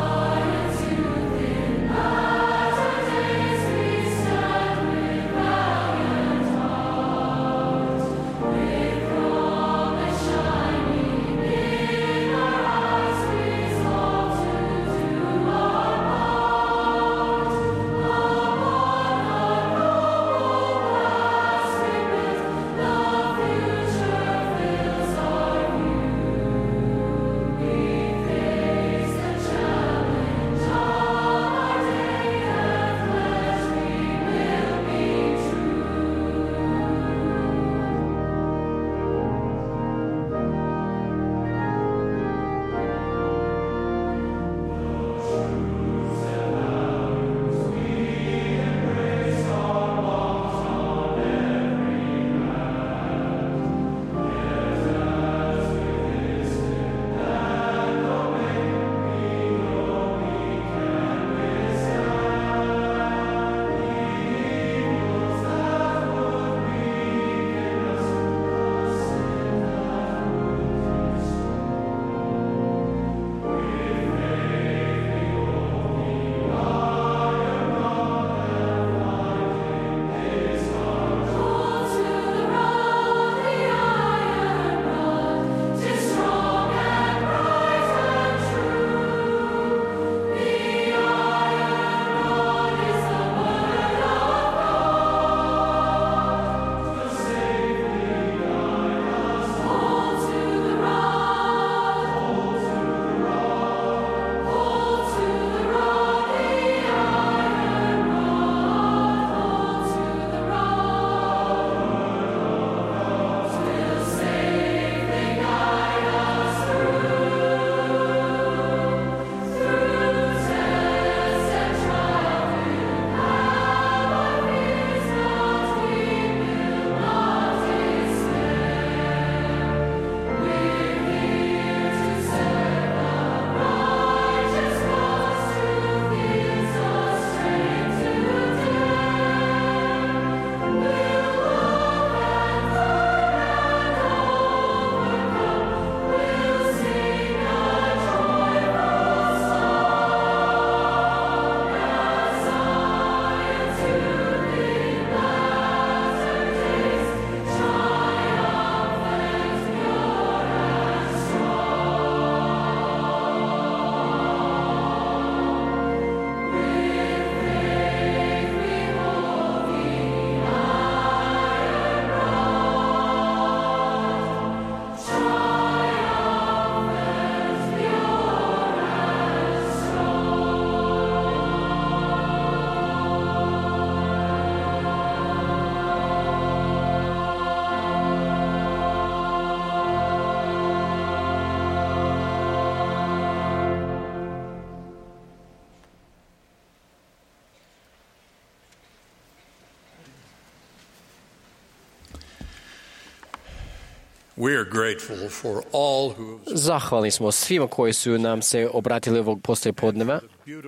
Zahvalni smo svima koji su nam se obratili ovog poslijepodneva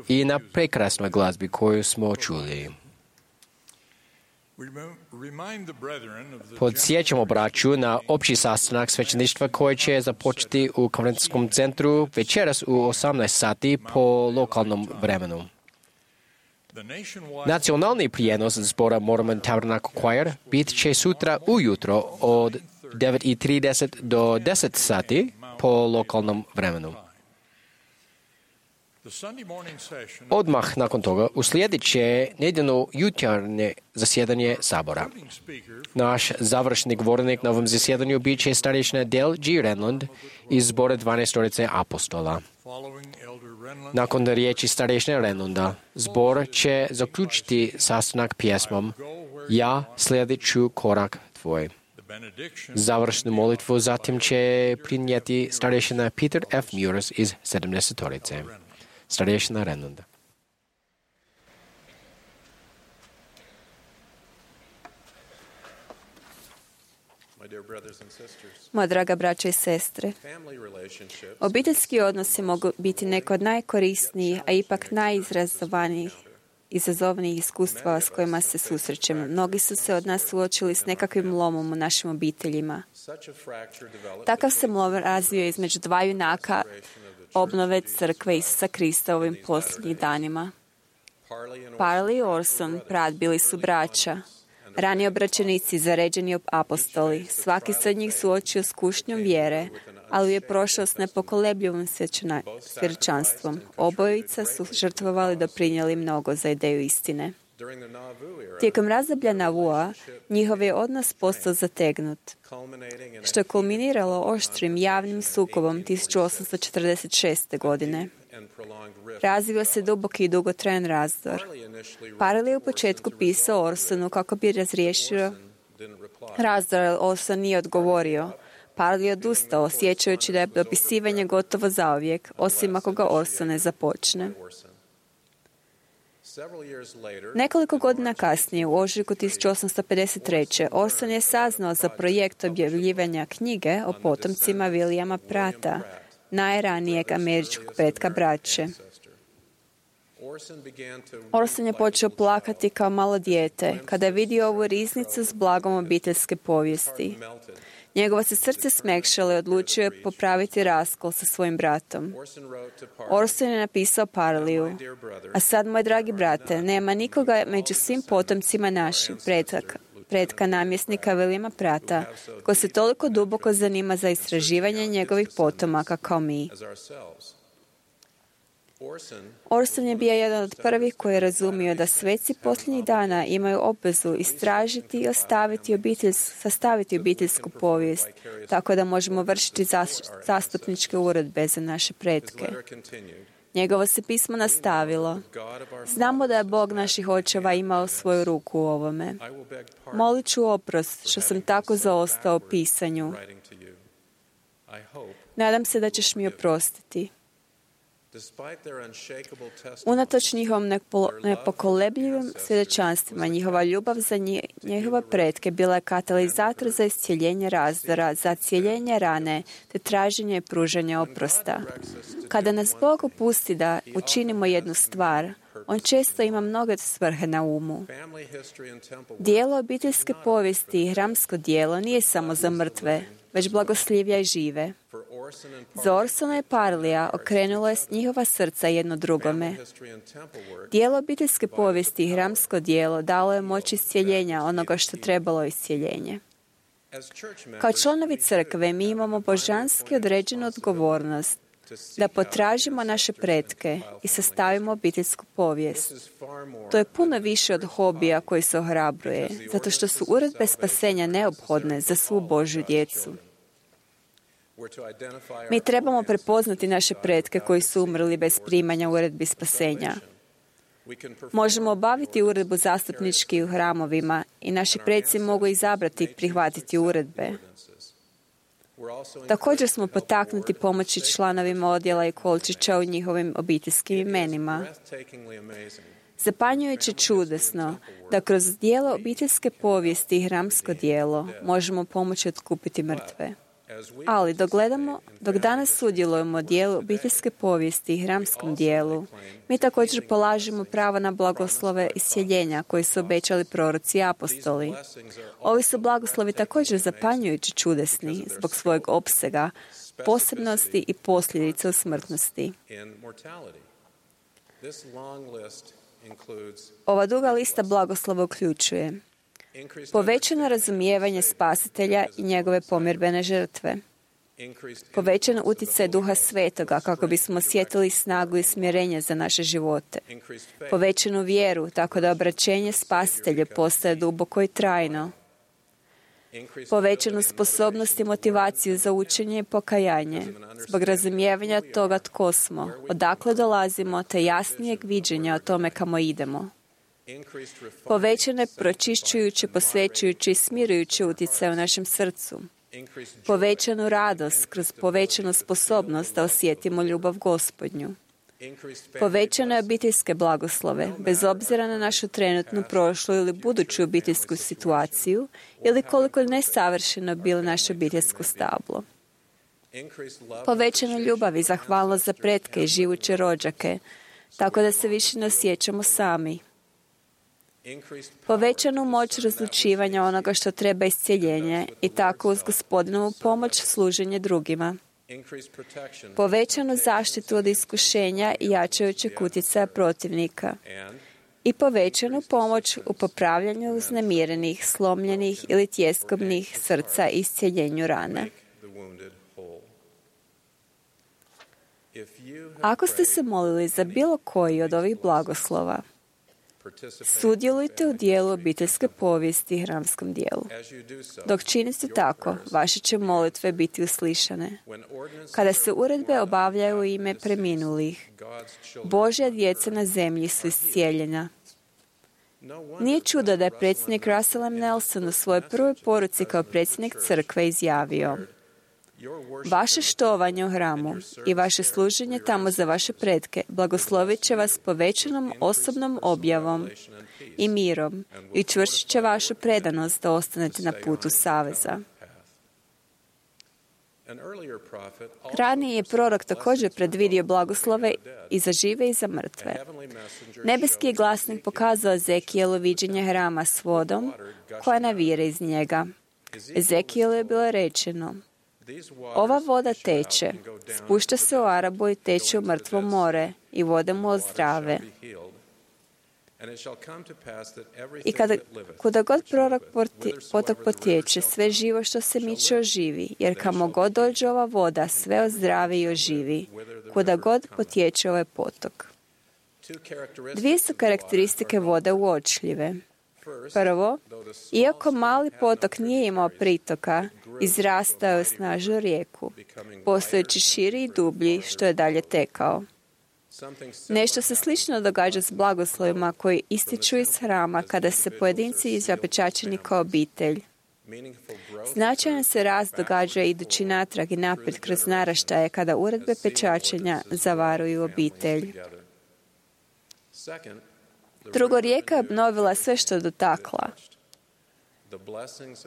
i na prekrasnoj glazbi koju smo čuli. Podsjećamo braću na opći sastanak svećeništva koji će započeti u konferencijskom centru večeras u 18 sati po lokalnom vremenu. Nacionalni prijenos zbora Mormon Tabernacle Choir bit će sutra ujutro od 9:30 do 10 sati po lokalnom vremenu. Odmah nakon toga uslijedit će nedjeljno jutarnje zasjedanje Sabora. Naš završni govornik na ovom zasjedanju bit će starješina Dale G. Renlund iz zbora 12 apostola. Nakon riječi starješine Renlunda, zbor će zaključiti sastanak pjesmom Ja slijedit ću korak tvoj. Završnu molitvu zatim će prinijeti starješina Peter F. Mures iz 70-torice. Starješina Renlunda. Moja draga braća i sestre, obiteljski odnosi mogu biti neko od najkorisnijih, a ipak izazovnijih iskustva s kojima se susrećemo. Mnogi su se od nas suočili s nekakvim lomom u našim obiteljima. Takav se lom razvio između dva junaka obnove crkve Isusa Krista u ovim posljednjih danima. Parley i Orson Pratt bili su braća, rani obraćenici, zaređeni apostoli. Svaki se od njih suočio s kušnjom vjere, ali je prošao s nepokolebljivim svjedočanstvom. Obojica su žrtvovali, doprinijeli mnogo za ideju istine. Tijekom razdoblja Navua, njihov je odnos postao zategnut, što je kulminiralo oštrim javnim sukobom 1846. godine. Razvio se duboki i dugotrajan razdor. Parley je u početku pisao Orsonu kako bi razriješio razdor, ali Orson nije odgovorio. Parley je odustao, osjećajući da je dopisivanje gotovo zauvijek, osim ako ga Orson ne započne. Nekoliko godina kasnije, u ožujku 1853. Orson je saznao za projekt objavljivanja knjige o potomcima Williama Prata, najranijeg američkog pretka braće. Orson je počeo plakati kao malo dijete kada je vidio ovu riznicu s blagom obiteljske povijesti. Njegovo se srce smekšalo i odlučio je popraviti raskol sa svojim bratom. Orson je napisao Parleyu: a sad, moj dragi brate, nema nikoga među svim potomcima naših pretka namjesnika Williama Prata, ko se toliko duboko zanima za istraživanje njegovih potomaka kao mi. Orson je bio jedan od prvih koji je razumio da sveci posljednjih dana imaju obvezu istražiti i sastaviti obiteljsku povijest, tako da možemo vršiti zastupničke uredbe za naše pretke. Njegovo se pismo nastavilo. Znamo da je Bog naših očeva imao svoju ruku u ovome. Molit ću oprost što sam tako zaostao u pisanju. Nadam se da ćeš mi oprostiti. Unatoč njihovom nepokolebljivim svjedočanstvima, njihova ljubav za njihove pretke bila je katalizator za iscijeljenje razdora, za cijeljenje rane, te traženje i pružanje oprosta. Kada nas Bog opusti da učinimo jednu stvar, on često ima mnoge svrhe na umu. Dijelo obiteljske povijesti i hramsko dijelo nije samo za mrtve, već blagoslivlja i žive. Za Orsona i Parleya okrenulo je njihova srca jedno drugome. Dijelo obiteljske povijesti i hramsko dijelo dalo je moć iscijeljenja onoga što trebalo iscijeljenje. Kao članovi crkve mi imamo božanski određenu odgovornost da potražimo naše pretke i sastavimo obiteljsku povijest. To je puno više od hobija koji se ohrabruje, zato što su uredbe spasenja neophodne za svu Božju djecu. Mi trebamo prepoznati naše pretke koji su umrli bez primanja uredbi spasenja. Možemo obaviti uredbu zastupnički u hramovima i naši preci mogu izabrati i prihvatiti uredbe. Također smo potaknuti pomoći članovima odjela i kolčića u njihovim obiteljskim imenima. Zapanjujuće čudesno da kroz dijelo obiteljske povijesti i hramsko dijelo možemo pomoći otkupiti mrtve. Ali dok danas sudjelujemo u dijelu obiteljske povijesti i hramskom dijelu, mi također polažemo pravo na blagoslove iscjeljenja koji su obećali proroci i apostoli. Ovi su blagoslovi također zapanjujući čudesni zbog svojeg opsega, posebnosti i posljedica u smrtnosti. Ova duga lista blagoslova uključuje povećano razumijevanje spasitelja i njegove pomirbene žrtve, povećan utjecaj Duha Svetoga kako bismo osjetili snagu i smjerenje za naše živote, povećanu vjeru tako da obraćenje spasitelju postaje duboko i trajno, povećanu sposobnost i motivaciju za učenje i pokajanje zbog razumijevanja toga tko smo, odakle dolazimo te jasnijeg viđenja o tome kamo idemo. Povećane pročišćujući, posvećujući i smirujući utjecaj u našem srcu. Povećanu radost kroz povećanu sposobnost da osjetimo ljubav Gospodnju. Povećane obiteljske blagoslove, bez obzira na našu trenutnu, prošlu ili buduću obiteljsku situaciju ili koliko nesavršeno bilo naše obiteljsko stablo. Povećanu ljubav i zahvalnost za pretke i živuće rođake, tako da se više ne osjećamo sami. Povećanu moć razlučivanja onoga što treba iscjeljenje i tako uz Gospodinovu pomoć služenje drugima. Povećanu zaštitu od iskušenja i jačajućeg utjecaja protivnika. I povećanu pomoć u popravljanju uznemirenih, slomljenih ili tjeskobnih srca i iscjeljenju rane. Ako ste se molili za bilo koji od ovih blagoslova, sudjelujte u dijelu obiteljske povijesti i hramskom dijelu. Dok činite tako, vaše će molitve biti uslišane. Kada se uredbe obavljaju u ime preminulih, Božja djeca na zemlji su iscijeljena. Nije čudo da je predsjednik Russell M. Nelson u svojoj prvoj poruci kao predsjednik crkve izjavio: vaše štovanje u hramu i vaše služenje tamo za vaše pretke blagoslovit će vas povećanom osobnom objavom i mirom i čvršit će vašu predanost da ostanete na putu saveza. Raniji je prorok također predvidio blagoslove i za žive i za mrtve. Nebeski je glasnik pokazao Ezekijelu viđenje hrama s vodom koja navire iz njega. Ezekijelu je bilo rečeno: ova voda teče, spušta se u Arabu i teče u mrtvo more i vode mu ozdrave. I kuda god prorok potok potječe, sve živo što se miče oživi, jer kamo god dođe ova voda, sve ozdravi i oživi, kuda god potječe ovaj potok. Dvije su karakteristike vode uočljive. Prvo, iako mali potok nije imao pritoka, izrastao je u snažnu rijeku, postojeći širi i dublji što je dalje tekao. Nešto se slično događa s blagoslovima koji ističu iz hrama kada se pojedinci izapečačeni kao obitelj. Značajan se rast događa idući natrag i naprijed kroz naraštaje kada uredbe pečačenja zavaruju obitelj. Drugo, rijeka je obnovila sve što je dotakla.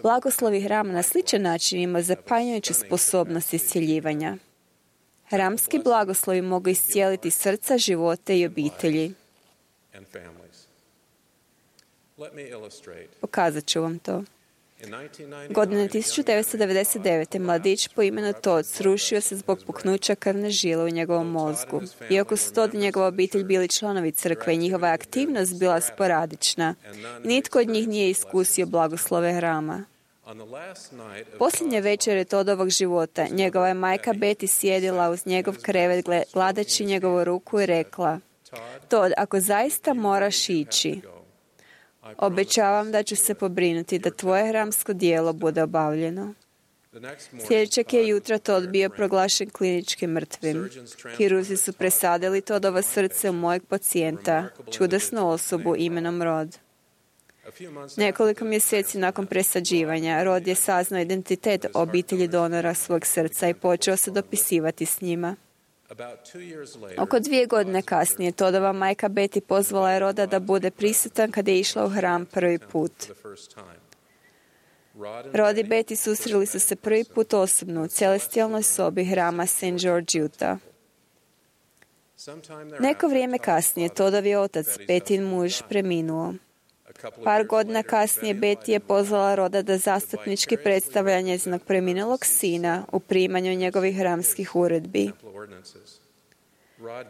Blagoslovi hrama na sličan način ima zapanjujuću sposobnost iscjeljivanja. Hramski blagoslovi mogu iscijeliti srca, živote i obitelji. Pokazat ću vam to. Godine 1999. mladić po imenu Todd srušio se zbog puknuća krvne žile u njegovom mozgu. Iako su Todd i njegova obitelj bili članovi crkve i njihova aktivnost bila sporadična, nitko od njih nije iskusio blagoslove hrama. Posljednje večere Toddovog života, njegova je majka Betty sjedila uz njegov krevet gladeći njegovu ruku i rekla: Todd, ako zaista moraš ići, obećavam da ću se pobrinuti da tvoje hramsko djelo bude obavljeno. Sljedećeg je jutra Todd bio proglašen klinički mrtvim. Kirurzi su presadili Toddovo srce u mojeg pacijenta, čudesnu osobu imenom Rod. Nekoliko mjeseci nakon presađivanja, Rod je saznao identitet obitelji donora svog srca i počeo se dopisivati s njima. Oko 2 godine kasnije, Toddova majka Betty pozvala je Roda da bude prisutan kada je išla u hram prvi put. Rod i Betty susreli su se prvi put osobno u celestijalnoj sobi hrama St. George, Utah. Neko vrijeme kasnije Toddov je otac, Bettyn muž, preminuo. Par godina kasnije Betty je pozvala Roda da zastupnički predstavlja njezinog preminulog sina u primanju njegovih hramskih uredbi.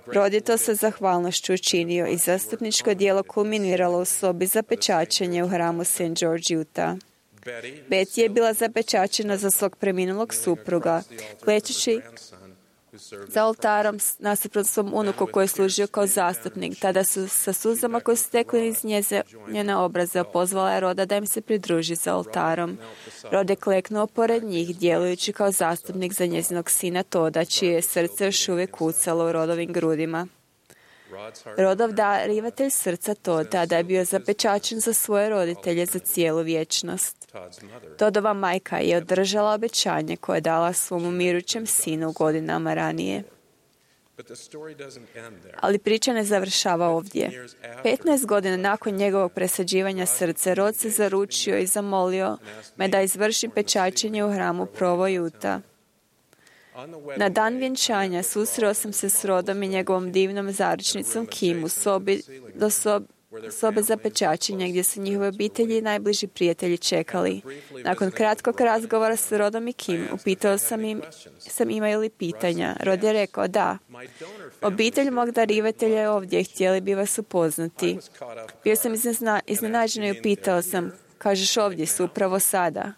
Rod je to sa zahvalnošću učinio i zastupničko djelo kulminiralo u sobi za pečačenje u hramu St. George, Utah. Betty je bila zapečačena za svog preminulog supruga, klečeći za oltarom nasuprot svom unuku koji je služio kao zastupnik. Tada su sa suzama koje su tekli iz njene obraze pozvala je Roda da im se pridruži za oltarom. Rod je kleknuo pored njih, djelujući kao zastupnik za njezinog sina Todda, čije je srce još uvijek kucalo u Rodovim grudima. Rodov darivatelj srca Todd tada je bio zapečačen za svoje roditelje za cijelu vječnost. Toddova majka je održala obećanje koje je dala svom umirućem sinu godinama ranije. Ali priča ne završava ovdje. 15 godina nakon njegovog presađivanja srca, Rod se zaručio i zamolio me da izvršim pečačenje u hramu Provo, Utah. Na dan vjenčanja susreo sam se s Rodom i njegovom divnom zaručnicom Kim u sobe za pečačenje gdje su njihove obitelji i najbliži prijatelji čekali. Nakon kratkog razgovora s Rodom i Kim, upitao sam imaju li pitanja. Rod je rekao da. Obitelj mog darivatelja je ovdje, htjeli bi vas upoznati. Bio sam iznenađen i upitao sam, kažeš ovdje su upravo sada?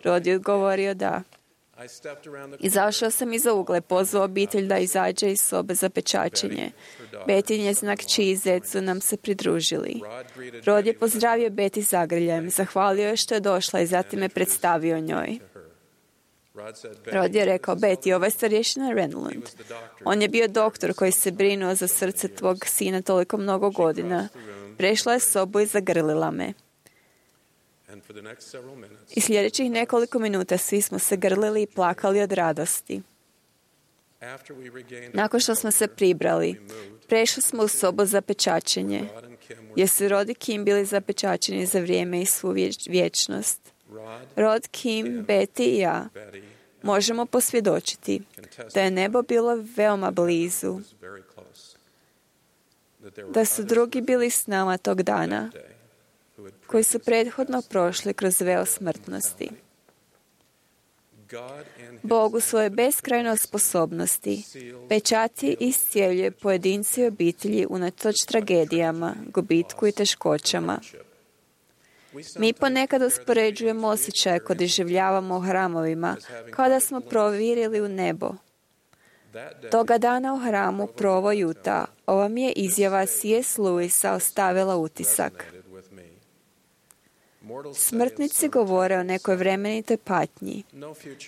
Rod je odgovorio da. Izašao sam iza ugla i pozvao obitelj da izađe iz sobe za pečačenje. Betty i njezina kći i zet su nam se pridružili. Rod je pozdravio Betty zagrljajem, zahvalio je što je došla i zatim je predstavio njoj. Rod je rekao, Betty, ovo je starješina Renlund. On je bio doktor koji se brinuo za srce tvog sina toliko mnogo godina. Prešla je sobu i zagrlila me. I sljedećih nekoliko minuta svi smo se grlili i plakali od radosti. Nakon što smo se pribrali, prešli smo u sobu za pečačenje, gdje su Rod i Kim bili zapečačeni za vrijeme i svu vječnost. Rod, Kim, Betty i ja možemo posvjedočiti da je nebo bilo veoma blizu, da su drugi bili s nama tog dana, koji su prethodno prošli kroz veo smrtnosti. Bog u svojoj beskrajnoj sposobnosti pečati i iscijeljuje pojedinci i obitelji unatoč tragedijama, gubitku i teškoćama. Mi ponekad uspoređujemo osjećaje koje doživljavamo u hramovima, kao da smo provirili u nebo. Toga dana u hramu Provo, Utah, ova mi je izjava C.S. Lewisa ostavila utisak. Smrtnici govore o nekoj vremenitoj patnji.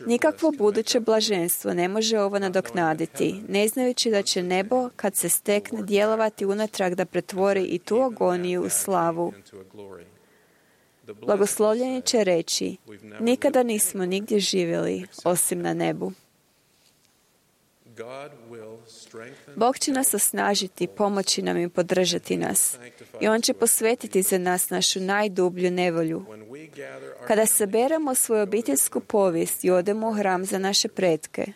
Nikakvo buduće blaženstvo ne može ovo nadoknaditi, ne znajući da će nebo, kad se stekne, djelovati unatrag da pretvori i tu agoniju u slavu. Blagoslovljeni će reći, nikada nismo nigdje živjeli, osim na nebu. Bog će nas osnažiti, pomoći nam i podržati nas. I On će posvetiti za nas našu najdublju nevolju. Kada saberemo svoju obiteljsku povijest i odemo u hram za naše pretke,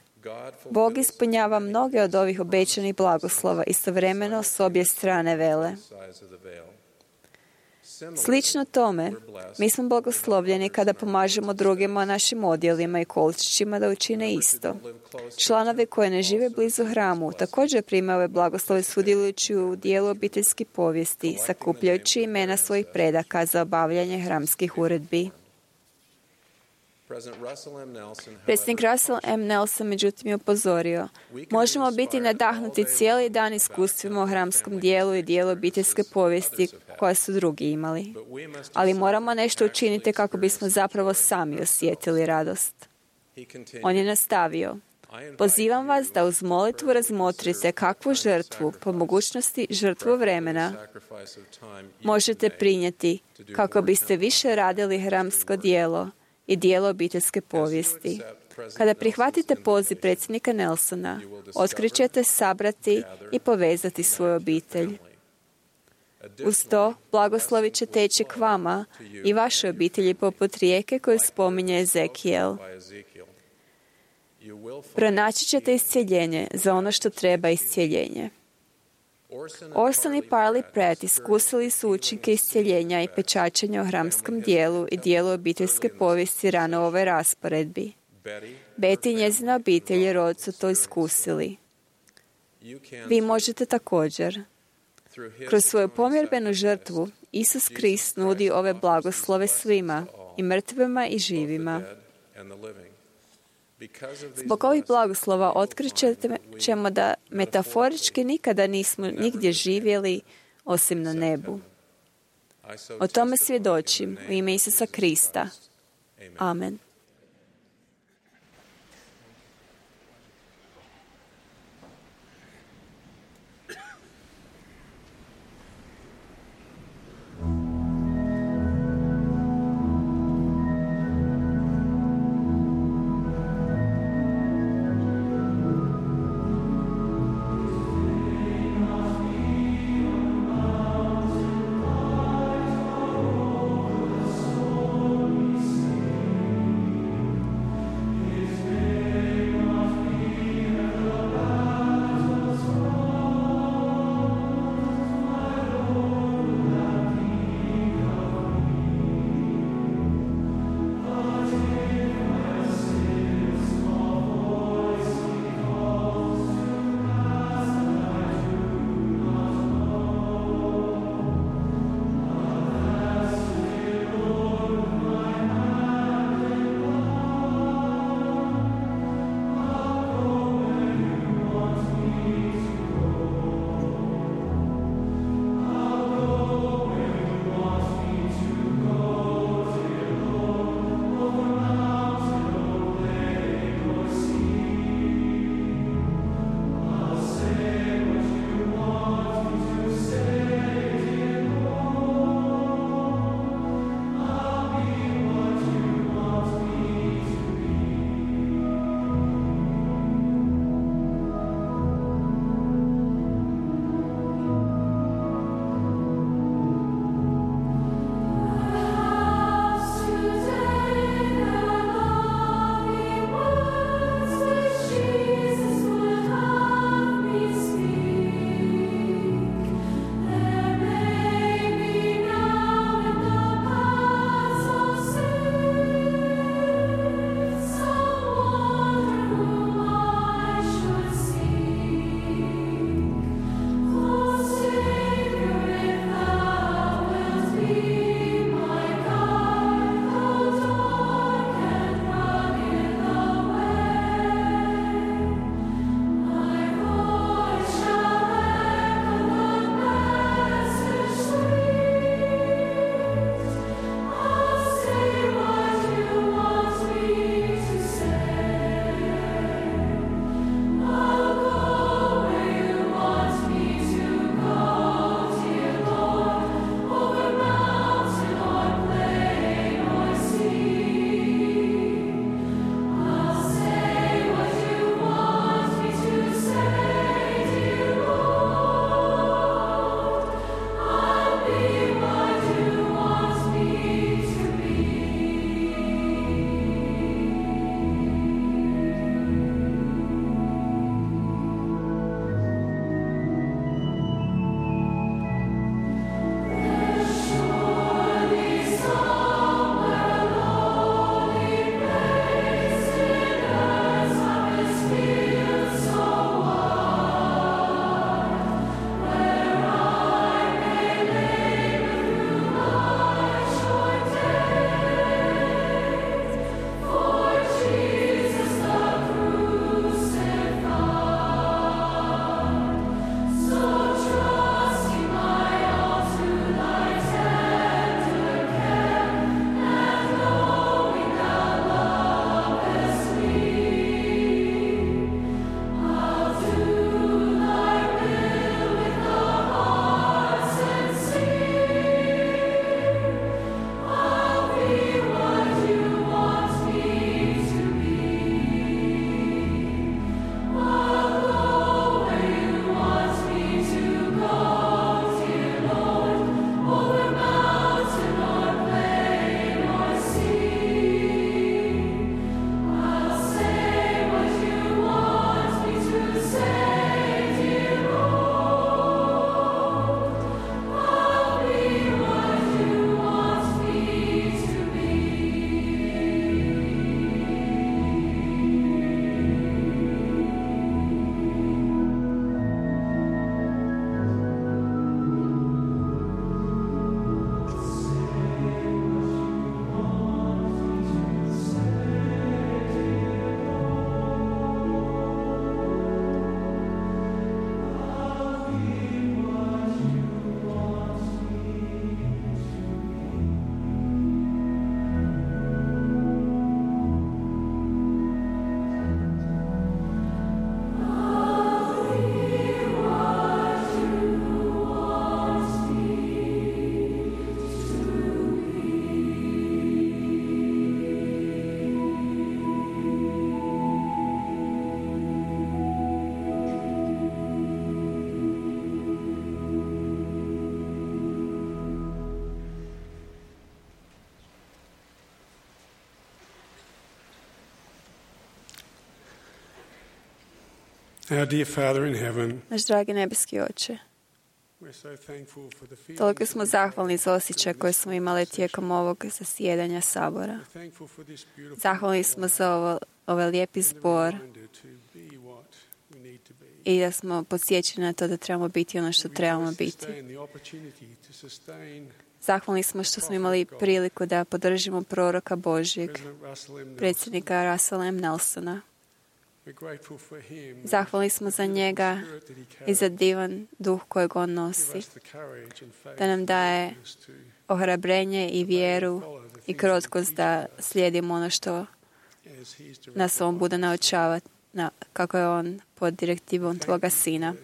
Bog ispunjava mnoge od ovih obećanih blagoslova istovremeno s obje strane vele. Slično tome, mi smo blagoslovljeni kada pomažemo drugima našim odjelima i količićima da učine isto. Članovi koji ne žive blizu hramu također primaju ove blagoslove sudjelujući u dijelu obiteljskih povijesti, sakupljajući imena svojih predaka za obavljanje hramskih uredbi. Predsjednik Russell M. Nelson međutim je upozorio, možemo biti nadahnuti cijeli dan iskustvima o hramskom dijelu i dijelu obiteljske povijesti koje su drugi imali. Ali moramo nešto učiniti kako bismo zapravo sami osjetili radost. On je nastavio, pozivam vas da uz molitvu razmotrite kakvu žrtvu, po mogućnosti žrtvu vremena, možete prinijeti kako biste više radili hramsko dijelo i dijelo obiteljske povijesti. Kada prihvatite poziv predsjednika Nelsona, otkrićete sabrati i povezati svoju obitelj. Uz to, blagoslovi će teći k vama i vašoj obitelji poput rijeke koju spominje Ezekijel. Pronaći ćete iscjeljenje za ono što treba iscjeljenje. Orson i Parley Pratt iskusili su učinke iscjeljenja i pečačenja u hramskom dijelu i dijelu obiteljske povijesti rano u ovoj rasporedbi. Betty i njezina obitelj i rod su to iskusili. Vi možete također. Kroz svoju pomjerbenu žrtvu, Isus Krist nudi ove blagoslove svima, i mrtvima i živima. Zbog ovih blagoslova otkrićemo da metaforički nikada nismo nigdje živjeli osim na nebu. O tome svjedočim u ime Isusa Krista. Amen. Our dear Father in heaven, Naš dragi nebeski Oče, we're so thankful for the feelings toliko smo zahvalni za osjećaj koje smo imali tijekom ovog zasjedanja sabora. we're thankful for this beautiful Zahvalni smo za ovaj lijepi zbor reminder to be what we need to be. i da smo podsjećeni na to da trebamo biti ono što trebamo biti. Sustain the opportunity to sustain Zahvalni smo što smo imali priliku da podržimo proroka Božjeg, President Russell M. Nelson. predsjednika Russella M. Nelsona. We're grateful for him. Zahvalni smo za njega Spirit that he i za carries. divan duh kojeg on Give nosi, us the courage and faith da nam daje and willingness to ohrabrenje i vjeru i krotkost da slijedimo ono što as he's directed nas on bude naučavati kako je on pod direktivom Tvoga Sina.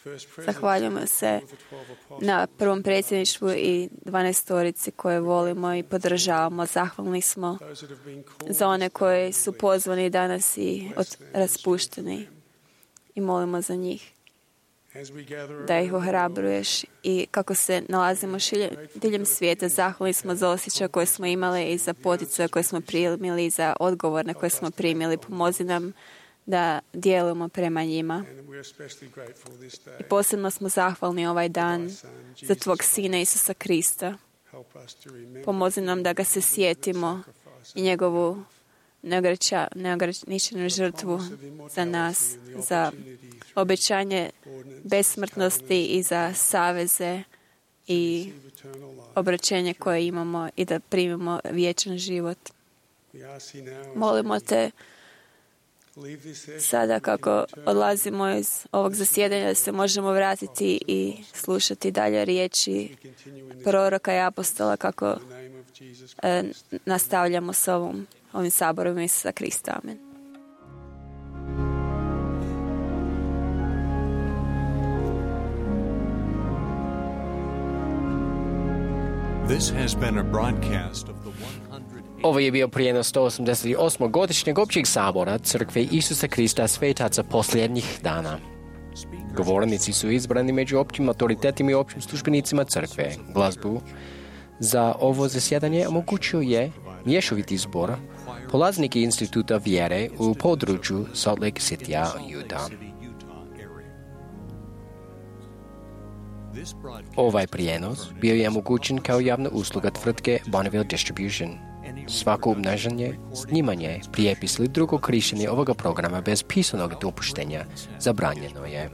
First President Zahvaljujemo se of the 12 apostles. na prvom predsjedništvu i 12 koje volimo i podržavamo. Zahvalni smo Those that have been called za one koji su pozvani danas i raspušteni i molimo za njih as we gather da ih around the world. ohrabruješ i kako se nalazimo diljem svijeta. Zahvalni smo za osjećaj koje smo imali i za poticaje koje smo primili i za odgovore koje smo primili. Pomozi nam da djelujemo prema njima. And we're especially grateful this day. I posebno smo zahvalni ovaj dan za Tvog Sina Isusa Krista. Help us to remember Pomozi nam da ga se sjetimo i njegovu neograničenu žrtvu za nas, za obećanje besmrtnosti i za saveze i eternal life. obraćenje koje imamo i da primimo vječan život. We ask you now, Molimo te leave this session sada kako odlazimo iz ovog zasjedanja da se možemo vratiti i slušati dalje riječi continue in proroka i apostola kako the name of Jesus. nastavljamo s ovim saborom Isusa Krista. Amen. This has been a broadcast of the 108th Ovo je bio prijenos 188. godišnjeg općeg sabora Crkve Isusa Krista Svetaca posljednjih dana. Govornici su izbrani među općim autoritetima i općim službenicima Crkve. Glazbu za ovo zasjedanje omogućio je mješoviti zbor polaznike Instituta vjere u području Salt Lake City, Utah. Ovaj prijenos bio je omogućen kao javna usluga tvrtke Bonneville Distribution. Svako obnašanje, snimanje, prijepis ili drugo korištenje ovoga programa bez pisanog dopuštenja zabranjeno je.